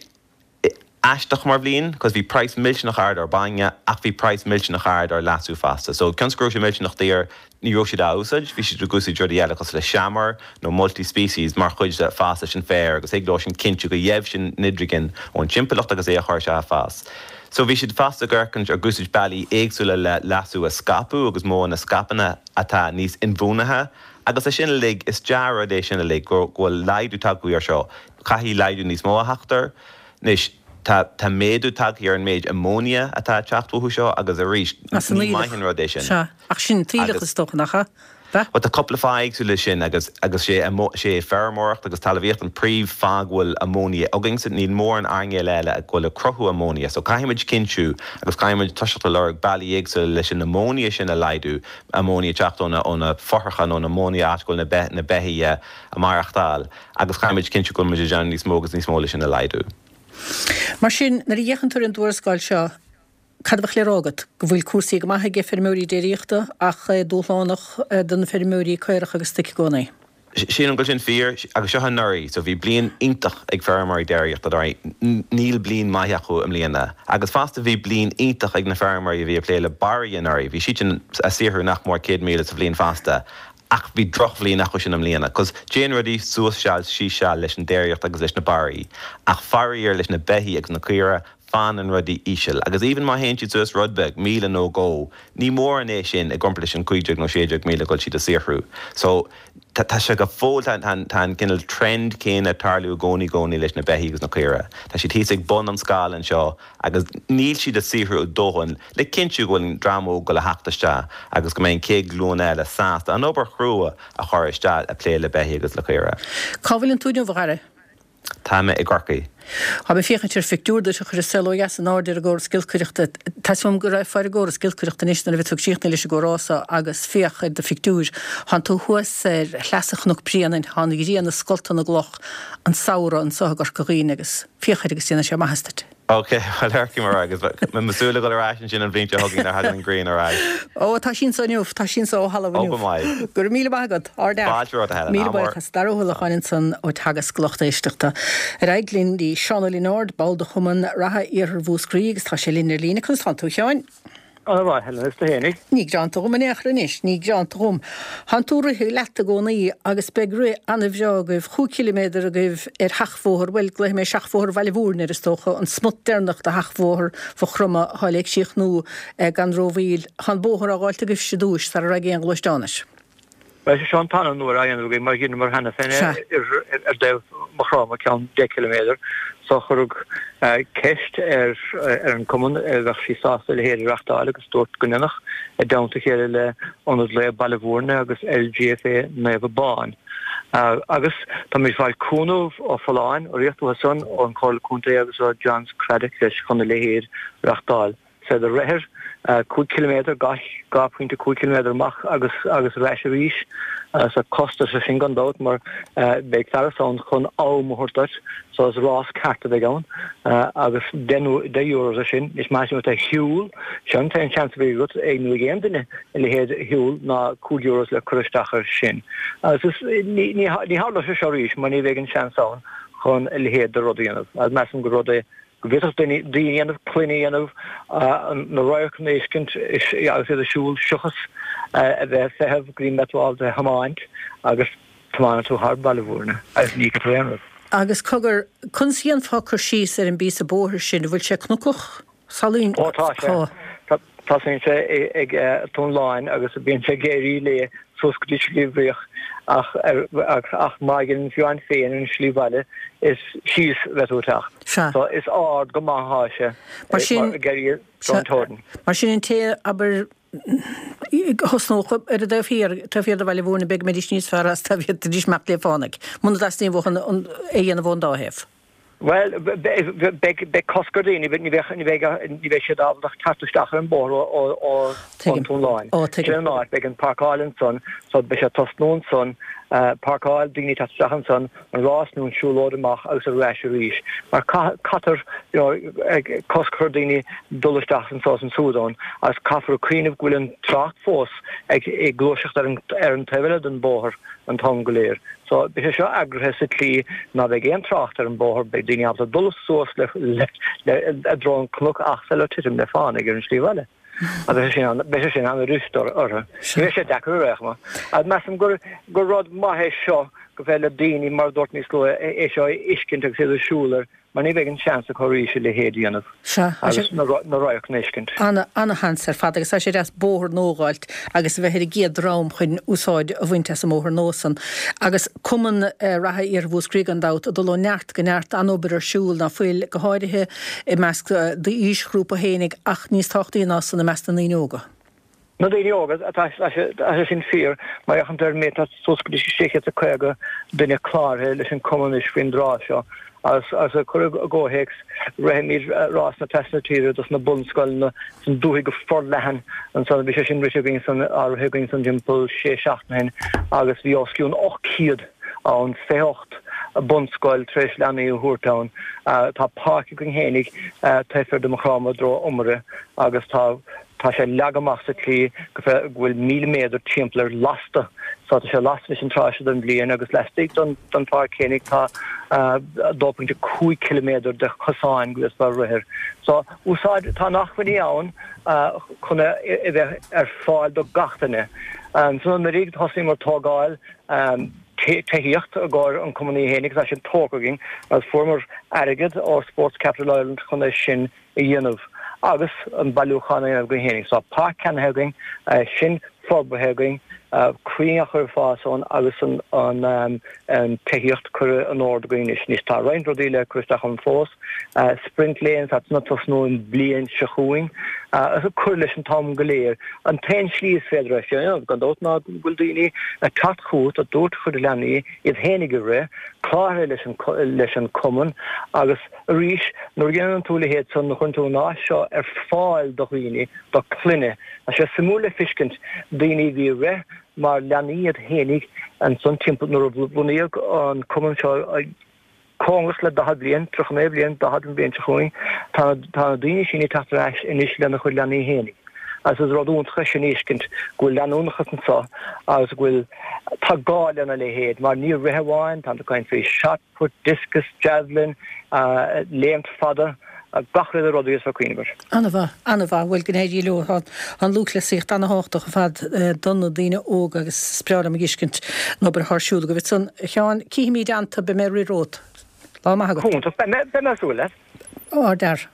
S3: aisteach mar bhliain cos bhí praghas millteanach ard ar bainne ach bhí praghas millteanach ard ar leasú fosta. So cionn is go raibh sé millteanach daor ní raibh siad á úsáid, bhí siad ag úsáid rudaí eile cosúil le seamair nó multi-species mar chuid de fás leis an féar agus thig leo sin cinntiú go gheibh sin nidrigin ón timpeallacht agus é a chur isteach ag fás. So bhí siad fosta ag amharc ag úsáid bealaí éagsúla le leasú a scaipeadh agus modhanna scaipthe atá níos inbhuanaithe agus é sin uilig, is dea-rud é sin uilig go bhfuil laghdú tagtha ar seo. Caithfidh laghdú níos mó a theacht air. Anois, tá, tá méadú tagtha ar an méid ammonia atá ag teacht uathu seo agus arís,
S1: As an
S3: ní maith
S1: aoileach.
S3: an rud é sin.
S1: Sea, ach sin an t-aoileach
S3: Agus.
S1: is dócha, nach ea? Bea?
S3: Bhuel, tá cúpla fáth éagsúil leis sin agus, agus sé, sé feirmeoireacht agus talmhaíocht an príomh fáth go bhfuil ammonia againn so níl mórán earnáil eile a bhfuil ag cruthú ammonia. So caithfimid cinntiú agus caithfimid toiseacht a lorg bealaí éagsúla leis an ammonia sin a laghdú, ammonia ag teacht ó na, ó na fothracha nó an ammonia áit go bhfuil na be, na beithígh ag maireachtáil. Agus caithfimid cinntiú go bhfuil muid ag déanamh níos mó agus níos mó leis sin a laghdú.
S1: Mar sin, nuair a fhéachann tú ar an dtuarascáil seo, cad a bheadh le rá agat? Go bhfuil cúrsaí go maith ag feirmeoirí déiríochta ach é dúshlánach do na feirmeoirí caorach agus stoic i gcónaí?
S3: Sílim go bhfuil sin fíor, agus seo anuraidh, so bhí bliain iontach ag feirmeoirí déiríochta anuraidh, níl bliain maith acu i mbliana. Agus fosta bhí bliain iontach ag na feirmeoirí a bhí ag plé le barraí anuraidh, bhí siadsan ag saothrú nach mór 100,000 sa bhliain fosta. Ach bhí drochbhliain acu sin i mbliana, 'cause téann rudaí suas seal síos seal leis an déiríocht agus leis na barraí, ach faraor leis na beithígh agus na caora, fanann rudaí íseal. Agus even má théann siad suas rud beag, 1,000 nó dhó, ní mórán é sin i gcomparáid leis an 15 nó 16,000 go bhfuil siad ag saothrú. So, tá, tá sé go fóill, tá, tá, tá an cineál trend céanna ag tarlú i gcónaí, i gcónaí leis na beithígh agus na caora. Tá siad thíos ag bun an scála anseo agus níl siad ag saothrú a ndóthain le cinntiú go bhfuil an dream óg ag goil a theacht isteach agus go mbeidh an chéad ghlúin eile sásta an obair chrua a chur isteach ag plé le beithígh agus le caora.
S1: Cá bhfuileann tú inniu, a Dhara?
S3: Tá mé i gCorcaigh.
S1: Tá mé ag féachaint ar phictiúr duit a chuir An Saol Ó Dheas in airde ar an gcóras giolcaireachta. Tá 'fhios a'm go raghfá ar an gcóras giolcaireachta anois nuair a bheidh tú ag críochnú leis an gcomhrá so agus féach ar do phictiúr. Thánn tú thuas ar shleasa Chnoc Bréanainn, tá an ghrian ag scoltadh na gcloch, an samhradh anso i gCorca Dhuibhne agus féach air agus déanfaidh sé maitheas duit.
S3: Ok, bhuel amharcfaidh mé air agus beidh mé ag súil le dhul ar ais ansin an bhliain seo chugainn nuair a thagann an ghrian ar ais.
S1: Ó, tá sí anso inniu, tá sí anso ó thalamh
S3: inniu. Ó, go maith.
S1: Go raibh míle maith agat, ardfhear.
S3: Fáilte romhat, a Helen.
S1: Míle buíochas. Dara Ó hUallacháin ansan ó Teagasc, lucht éisteachta. Ar aghaidh linn dtí Seán Ó Lionáird, ball de Chumann Reatha Iarthar Mhúscraí agus tá sé linn ar líne. Conas tánn tú, a Sheáin?
S4: Ana mhaith, Helen, is tú fhéinig?
S1: Ní greanta dhom in aon chor anois, ní greanta dhom. Thánn tú ag rith leat i gcónaí agus beidh rith ana-bhreá agaibh, chúig chiliméadar agaibh ar sheachbhóthar, bhuel, glaofaidh mé seachbhóthar Bhaile Mhúirne air is dócha, an smut deireanach de sheachbhóthar Mhaigh Chromtha atá le críochnú gan rómhoill. Tá an bóthar á dh'fháilt agaibhse i dtúis sara raghaidh aon ghluaisteán air.
S4: Bhuel, sé seo an tarna uair á dhéanamh againn mar dheineamar cheana féin é ar dtaobh Mhaigh Chromtha, ceann 10 ciliméadar. So cuireadh ceist ar an cumann an bheadh siad sásta a leithéid a reachtáil agus dúirt go ndéanfadh, i dteannta a chéile le Ionad Lae Baile Mhúirne agus LGFA Naomh Abán. Agus táimid ag fáil cúnamh ó Folláin, urraíocht uathu san, ón Chomhairle Contae agus ó John's Craddock leis chun a leithéid a reachtáil. Sea, do rithir 5 ciliméadar gach 2.5 ciliméadar amach agus agus ar ais arís. So costas é sin gan dabht mar beidh fearas ann chun am a thabhairt duit, so is rás ceart a bheidh ann agus €10 é sin. Is maith sin ar shiúl, sin an t-aon seans a bheidh agat ag nó ag aon duine a leithéid a shiúl ná €5 le cur isteach air sin. Agus is ní ní tharlóidh sé seo arís mar ní bheidh an seans ann chun a leithéid de rud a dhéanamh. Agus measaim gur rud é go bhféadfadh daoine a dhéanamh, clainn a dhéanamh, na radharcanna a fheiscint agus iad ag siúl seachas a bheith ag feitheamh go dtí mbeidh tú ábalta a thiomáint agus tiomáineann tú thar Baile Mhúirne agus ní fheicfidh tú aon rud.
S1: Agus cogar, conas a dhéanfá cur síos ar an bpíosa bóthair sin, an bhfuil sé cnocach? Salainn?
S4: Ó tá sé. Tosaíonn sé ag Tóin Láin agus bíonn sé ag éirí léi suas go dtí Sliabh Riach ach ach má dhéanann tú féin an slí bhaile is síos a bheidh tú ag teacht.
S1: Sea.
S4: So is ard go maith atá sé
S1: Mar sin,
S4: ag éirí don Tóin.
S1: Mar sin an té, abair, a thosnódh ar an dtaobh thiar, taobh thiar de Bhaile Mhúirne, b'fhéidir go mbeidís níos fearr as dá bhféadfaidís imeacht le fánaidh, muna dteastaíonn uathu é a dhéanamh ón dá thaobh.
S4: Bhuel, beidh cosc ar dhaoine, ní bheidh siad ábalta teacht isteach ar an bóthar ón Tóin Láin. Sin an áit, beidh an páirceáil ansan, so beidh sé ag tosnú ansan, páirceáil, daoine ag teacht isteach ansan, an rás nó an siúlóid amach agus ar ais arís. Mar caithfear cosc a chur ar dhaoine dul isteach anso is ansúd ann agus caithfear cuimhneamh go bhfuil an trácht fós ag gluaiseacht ar an taobh eile den bóthar an t-am go léir. So, beidh sé seo eagraithe sa tslí ná beidh aon trácht ar an bóthar, beidh daoine ábalta dul suas le le i dtreo an cnoc ach sula titim le fánaidh ar an slí bhaile. Agus beidh sé sin beidh sé sin an-fhuirist orthu. Ní bheidh sé deacair ar aon chuma. Agus measaim gur gur rud maith é seo go bhféadfadh le daoine, mar a dúirt níos luaithe, é seo a fheiscint agus iad ag siúl air Mar ní bheidh an seans acu arís a leithéid a dhéanamh
S1: Sea, tá
S4: sé. agus na radharcanna a fheiscint.
S1: Ana, ana-sheans ar fad agus tá sé deas bóthar nua a dh'fháilt agus a bheith ar an gcéad dream chun úsáid a bhaint as an mbóthar nua san. Agus Cumann Reatha Iarthar Mhúscraí gan dabht ag dul ó neart go neart, an-obair ar siúl ná fuil, go háirithe i measc d'aoisghrúpa fhéinig ach níos tábhachtaí ná san i measc na ndaoine óga.
S4: Na daoine óga, tá sé sin fíor, má fhéachann tú ar an méid, tá suas go dtí 650 duine cláraithe leis an cumann anois faoin dtráth seo. Agus agus cur i gcomhthéacs, rithimid Rás na Trasna Tíre dos na bunscoileanna san dúthaigh go forleathan ansan, bhí sé sin rite againn san, á rith againn san timpeall sé seachtaine ó shin agus bhí os cionn 800 ann, 28 bunscoil tar éis leanaí a thabhairt ann. Tá páirc againn fhéinig taobh thiar de Maigh Chromtha i dtreo Iomaire agus tá Tá sé leagtha amach sa tslí go bhfuil 1,000 méadar timpeall air lasta. So tá sé lasta anois an tráth seo den bhliain agus laistigh den pháirc fhéinig tá 2.5 ciliméadar de chosáin go bhféadfá rith air. So úsáid, tá na hacmhainní ann chun é a bheith ar fáil do gach duine. Ansan anuraidh thosaíomar tógáil tithíocht i gcomhair an cumann fhéinig agus tá sin tógtha againn agus fuaireamar airgead ó Sports Capital Ireland chun é sin a dhéanamh agus an bailiúchán a dhéanamh againn féinig. So tá páirc ceannaithe againn, sin forbartha againn, crainn á chur ag fás ann agus an tithíocht curtha in ord againn anois. Anois tá roinnt rudaí le cur isteach ann fós. Sprint Lanes, tá sin ag tosnú an bhliain seo chugainn. Cur leis an t-am go léir. An t-aon slí is féidir é sin a dhéanamh, gan dabht, ná go bhfuil daoine ag teacht chugat ag tabhairt a chuid leanaí, iad féinig ag rith, cláraithe leis an leis an cumann agus arís nuair a dhéanann tú a leithéid san, nuair a chuireann tú an áis seo ar fáil do dhaoine, do clainne, tá sé suimiúil le feiscint daoine a bhí ag rith mar leanaí iad féinig ansan timpeall nuair a bunaíodh an cumann seo cóngarach le 40 bliain, 39 bliain, 40 an bhliain seo chugainn, tá tá na daoine sin ag teacht ar ais anois lena chuid leanaí féinig. Agus is rud iontach é sin a fheiscint go bhfuil leanúnachas anso agus go bhfuil, tá gá lena leithéid mar ní rith amháin, tá tú ag caint faoi shot put, discus, javelin, léimt fada, gach uile rud a bhíos ag cuimhneamh air.
S1: An-mhaith, an-mhaith. Bhuel, go n-éirí leo. Tá an lúthchleasaíocht an-thábhachtach ar fad do na daoine óga agus is breá liom a fheiscint an obair atá ar siúl agaibh. Ansan, a Sheáin, cífimid i dteannta, beidh mé ag rith romhat. Lá maith agat.
S4: Iontach, beidh mé ag súil leat.
S1: Ardfhear.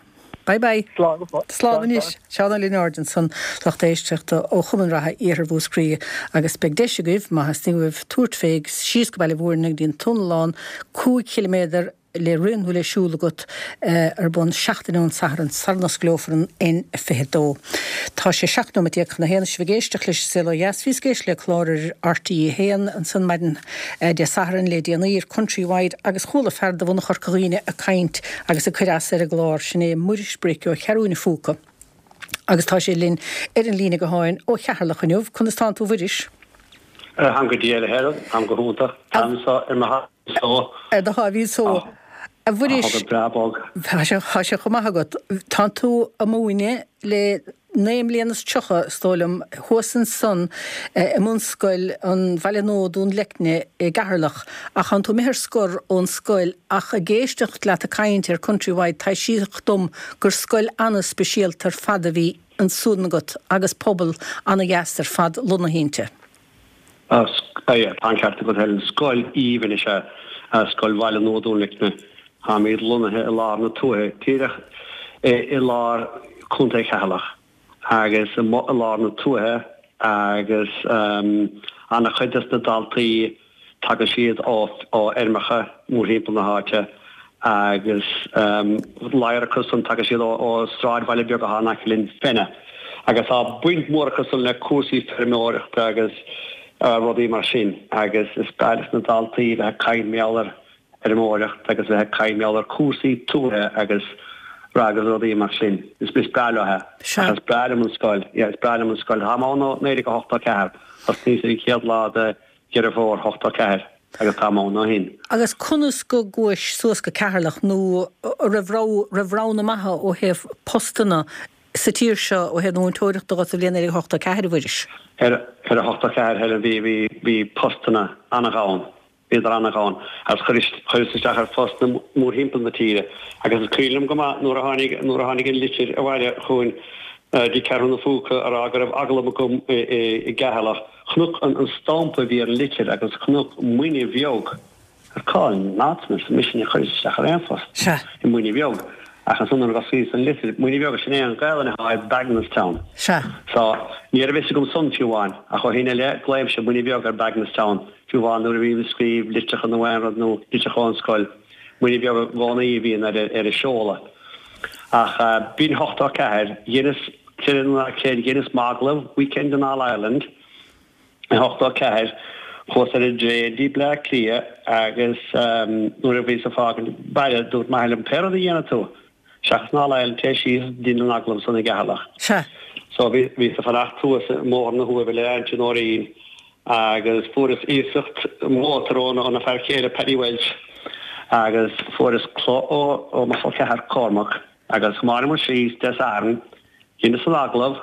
S1: Bye bye.
S4: Slán go fóill.
S1: Slán anois. Seán Ó Lionáird ansan, lucht éisteachta ó Chumann Reatha Iarthar Mhúscraí agus beidh deis agaibh, má theastaíonn uaibh, tabhairt fé síos go Baile Mhúirne go dtí an Túnalán, 5 chiliméadar le rith nó le siúl agat ar bun seachtain ón Satharn sara n-osclófar an N22. Tá sé 17 nóiméad chun a haon. Sibh ag éisteacht leis an Saol Ó Dheas. Bhíos ag éisteacht le clár ar RTÉ 1 ansan maidin Dé Sathairn le déanaí ar Countrywide agus chuala fear de bhunadh Chorca Dhuibhne ag caint agus ag cur as ar an gclár. Sin é Muiris Bric ó Cheathrúin an Phúca agus tá sé linn ar an líne gutháin ó Cheatharlach inniu. Conas tánn tú a Mhuiris?
S5: Táim go diail a Helen, táim go hiontach. Táim anseo ar mo sháimhín só.
S1: Ar do sháimhín só. A Mhuiris.
S5: Tá go breá bog.
S1: Tá sé, tá sé chomh maith agat. Tánn tú ag múineadh le 39 mbliana is dóigh liom, thuas ansan i mbunscoil an Bhaile Nua, Dún Leicne i gCeatharlach, ach tánn tú imithe ar scor ón scoil ach ag éisteacht leat ag caint ar Countrywide taibhsíodh dom gur scoil ana-speisialta ar fad a bhí ansan agat agus pobal ana-dheas ar fad lonnaithe inti.
S5: Tá an ceart agat Helen. Scoil aoibhinn is ea Scoil Bhaile Nua Dún Leicne. Táimid lonnaithe i lár na tuaithe, díreach i lár Contae Cheatharlach agus amuigh i lár na tuaithe agus an-chuid des na daltaí tagann siad ó fheirmeacha mórthimpeall na háite agus ladhar acu san tagann siad ó sráidbhaile beag atá in aice linn, Fenagh, agus tá baint mhór acu san le cúrsaí feirmeoireachta agus rudaí mar sin agus is breá leis na daltaí bheith ag caint mar gheall ar fheirmeoireacht agus bheith ag caint mar gheall ar cúrsaí tuaithe agus agus rudaí mar sin. Is breá leo é. Ach is breá liom an scoil, yeah, is breá liom an scoil. Táim ann ó 1984, thosnaíos ar an chéad lá de Dheireadh Fómhair 84 agus táim ann ó shin.
S1: Agus conas go gcuais suas go Ceatharlach nó an raibh raibh roghanna maithe ó thaobh postanna sa tír seo ó thaobh na múinteoireachta dhot sa bhliain 1984 a Mhuiris?
S5: Ar ar 84 Helen bhí bhí bhí postanna an-ghann. Bhíodar an-ghann agus chuireas chuireas isteach ar phostanna mórthimpeall na tíre agus is cuimhin liom go maith nuair a tháinig nuair a tháinig an litir abhaile chugainn dtí Ceathrú na Phúca a rá go raibh agallamh agam i i gCeatharlach. Chonac an an stampa a bhí ar an litir agus chonac Muine Bheag. Ar cá in áit arsa mise níor chuireas isteach ar aon phost i Muine Bheag. Ach ansan nuair a d'osclaíos an litir, Muine Bheag sin é an Ghaelainn atá ar Bagenalstown.
S1: Sea.
S5: So ní raibh a fhios agam san fiú amháin ach ó shin i leith glaoimse Muine Bheag ar Bagenalstown. Fiú amháin nuair a bhím ag scríobh litreacha nó aon rud nó litreacha ón scoil, Muine Bheag i gcónaí a bhíonn ar ar an seoladh. Ach b'in 84, dheineas, creid é nó ná creid, dheineas m'agallamh Weekend in All Ireland i 84, chuas ar an dtraein dtí Bleá Cliath agus nuair a bhíos ag fágaint baile dúirt m'athair liom, pé rud a dhéanfaidh tú, Seachas an All Ireland téigh síos dein an agallamh san i gCeatharlach.
S1: Sea.
S5: So bhí, bhíos ag fanacht thuas i mBóthar na hUaimhe le Auntie Nóirín agus fuaireas iasacht mótar óna, óna fear céile Paddy Walsh agus fuaireas culaith ó, ó mo chol ceathar Cormac agus thiomáineamar síos Dé Sathairn, dheineas an agallamh,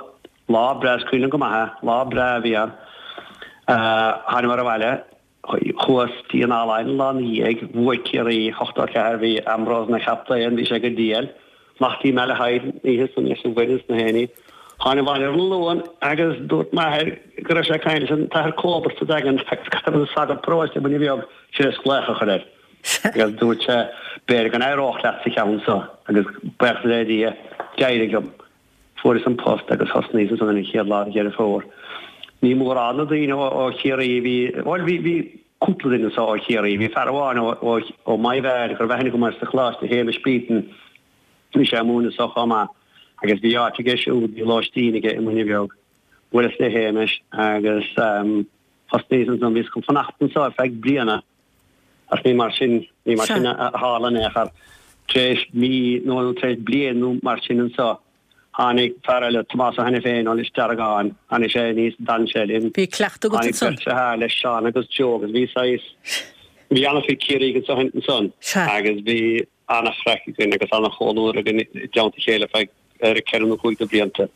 S5: lá breá, is cuimhin liom go maith é, lá breá a bhí ann. Thánamar abhaile. Chuas dtí an All Ireland lá ina dhiaidh, bhuaigh Ciarraí 84, bhí Ambrose ina chaptaen, bhí sé go diail. Amach dtí Malahide an oíche san leis an bhfoireann is na héinní. Thána abhaile ar an Luan agus dúirt m'athair go raibh sé ag caint leis an tAthair Cóbert sa Daingean agus go raibh an sagart paróiste i Muine Bheag tar éis glaoch a chur air. Agus dúirt sé, b'fhéidir go n-éireodh leat sa cheann seo agus buíochas le Dia, d'éirigh liom. Fuaireas an post agus thosnaíos ansan ar an chéad lá de Dheireadh Fómhair. Ní mórán na daoine ó Chiarraí a bhí, bhuel bhí, bhí cúpla duine anso ó Chiarraí. Bhí fear amháin ó, ó, ó Maigh Mheáin go raibh aithne agam air sa choláiste, Shéamus Beaton, bhí sé ag múineadh anso chomh maith. Agus bhí áit aige siúd, bhí lóistín aige i Muine Bheag. Bhuaileas le Shéamus agus thosnaíos ansan, bhíos chun fanacht anso ar feadh bliana ach ní mar sin, ní mar sin a tharla in aon chor. Tar éis mí nó tar éis bliain nó mar sin anso, tháinig fear eile, Tomás Ó hAiniféin ó Lios Deargáin, tháinig sé aníos, d'fhan sé linn.
S1: Bhí cleachtadh agat
S5: Tháinig
S1: ansan.
S5: beirt deartháir leis, Seán agus Joe agus bhí saghas, bhí an-chuid Ciarraígh anso ansan agus bhí, an-chraic againn agus an-chomhluadar againn i dteannta a chéile feadh ceithre nó chúig de bhlianta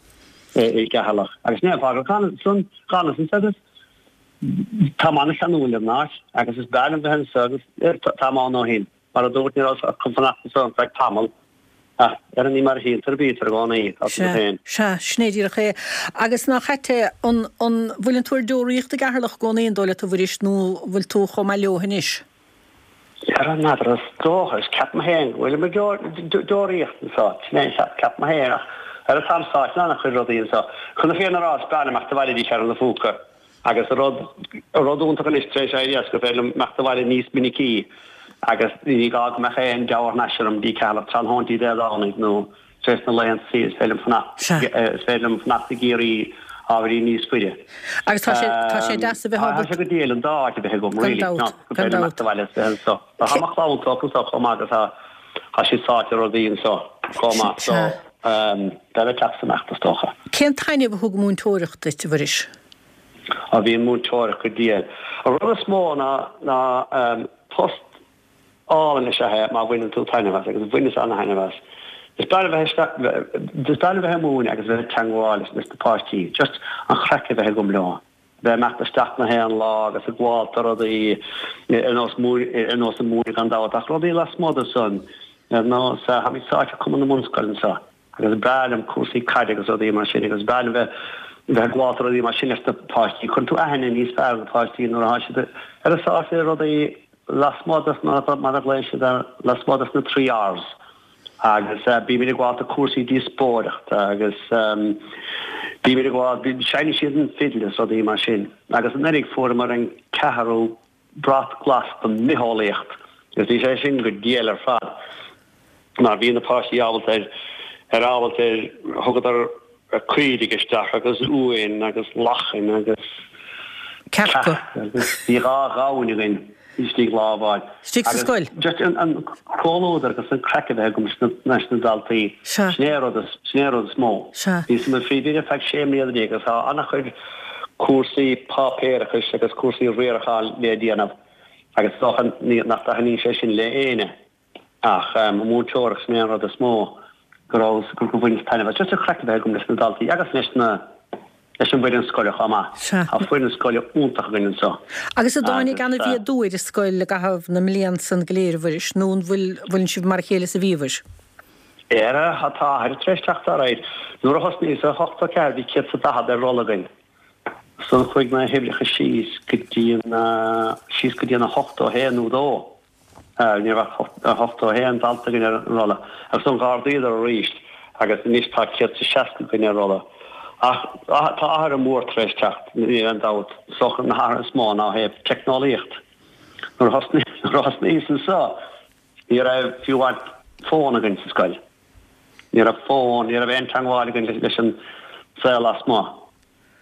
S5: i gCeatharlach. Agus ní fág san d'fhanas anso agus táim an-cheanúil ar an áit agus is breá liom bheith anso agus táim ann ó shin. Mar a dúirt, ní rabhas ach chun fanacht anso ar feadh tamaill ach ar ní mar a shíltear a bítear i gcónaí, tá tú
S1: féin. Sea, sin é díreach é. Agus nach ait é, an bhfuileann tú ar deoraíocht i gCeatharlach i gcónaí, an dóigh leat a Mhuiris, nó an bhfuil tú chomh maith leo anois?
S5: Ara n'fheadar, is dócha, is ceapaim féin go bhfuilim ar deoraíocht anso, sin é, ceapaim féin, ach ara táim sáite in an-chuid rudaí anso. Chun na fírinne a rá, is breá liom imeacht abhaile dtí Ceathrú na Phúca agus an rud, an rud iontach anois tar éis éirí as gur féidir liom imeacht abhaile níos minicí agus ní gá go mbeadh aon deabhar-thar n-ais orm dtí Ceatharlach tráthnóintí Dé Domhnaigh nó Trés na laethanta saoire is féidir liom fanacht, is féidir liom fanacht i gCiarraí ábhairín níos faide.
S1: Agus tá sé, tá sé deas a bheith
S5: ábalta. Tá sé go diail an dá áit a bheith agam,
S1: really,
S5: gur féidir liom imeacht abhaile is bheith anso. Tá mo chlann tógtha anso chomh maith agus tá, tá siad sáite i rudaí anso chomh maith so beidh mé ag teacht is imeacht is dócha.
S1: Cén taitneamh a thug múinteoireacht duit, a Mhuiris?
S5: Á bhí an múinteoireacht go diail. An rud is mó ná, ná post álainn is ea é má bhaineann tú taitneamh as, agus bhaineas ana-thaitneamh as. Is breá liom bheith isteach, is breá liom bheith ag múineadh agus bheith ag teangmháil leis na páistí, just an chraic a bheith agam leo, bheith ag imeacht isteach na haon lá agus ag gabháil do rudaí ar nós ar nós an múineadh gan dabht ach rudaí lasmuigh de san, ar nós, táimid sáite i Cumann na mBunscoil anseo agus is breá liom cúrsaí caide agus rudaí mar sin agus is breá liom bheith bheith ag gabháil do rudaí mar sin leis na páistí. Cuireann tú aithne níos fearr ar na páistí nuair atá siad ar a sáite i rudaí lasmuigh de na, mar a ghlaonn siad air, lasmuigh de na 3 Rs agus bímid ag gabháil do cúrsaí díospóireachta agus bímid ag gabháil, seinneann siad an fidil is rudaí mar sin. Agus anuraidh fuaireamar an ceathrú brat glas don mbitheolaíocht agus bhí sé sin go diail ar fad mar bhí na páistí ábalta ar, ar ábalta ar, thugadar caoirigh isteach agus uain agus lachain agus
S1: cearca
S5: agus bhí dha ghamhain againn istigh lá amháin.
S1: Istigh sa scoil?
S5: Just an comhluadar agus an craic a bheith agam leis na daltaí. Sin é an rud is, sin é an rud is mó. Bhíos i mo phríomhoide ar feadh sé mbliana déag agus tá an-chuid cúrsaí páipéarachais agus cúrsaí riaracháin le déanamh agus is dócha nach dtaitníonn sé sin le éinne. Ach an mhúinteoireacht, sin é an rud is mó go raibh, gur bhaineas taitneamh as. Just an chraic a bheith agam leis na daltaí agus leis na, leis an bhfoireann scoile chomh maith.
S1: Sea.
S5: Tá foireann scoile iontach againn anseo.
S1: Agus an dtáinig ana-mhéadú ar an scoil i gcaitheamh na mblian san go léir, a Mhuiris, nó an bhfuil, bhfuileann sibh mar a chéile is a bhíobhair?
S5: Ara, tá athruithe tar éis teacht alright. Nuair a thosnaíos i 84 bhí 140 ar rolla againn. Ansan chuaigh na huimhreacha síos go dtí na, síos go dtí na 81 nó dó. Ní raibh ach 81 dalta againn ar an rolla agus ansan dh'ardaíodar arís agus anois tá 160 againn ar rolla. Ach tá athrú mór tar éis teacht, níl aon dabht. Is dócha na hathruithe is mó ná ó thaobh teicneolaíocht. Nuair a thosnaíos anseo ní raibh fiú amháin fón againn sa scoil. Ní raibh fón, ní raibh aon teangmháil againn leis an saol lasmuigh.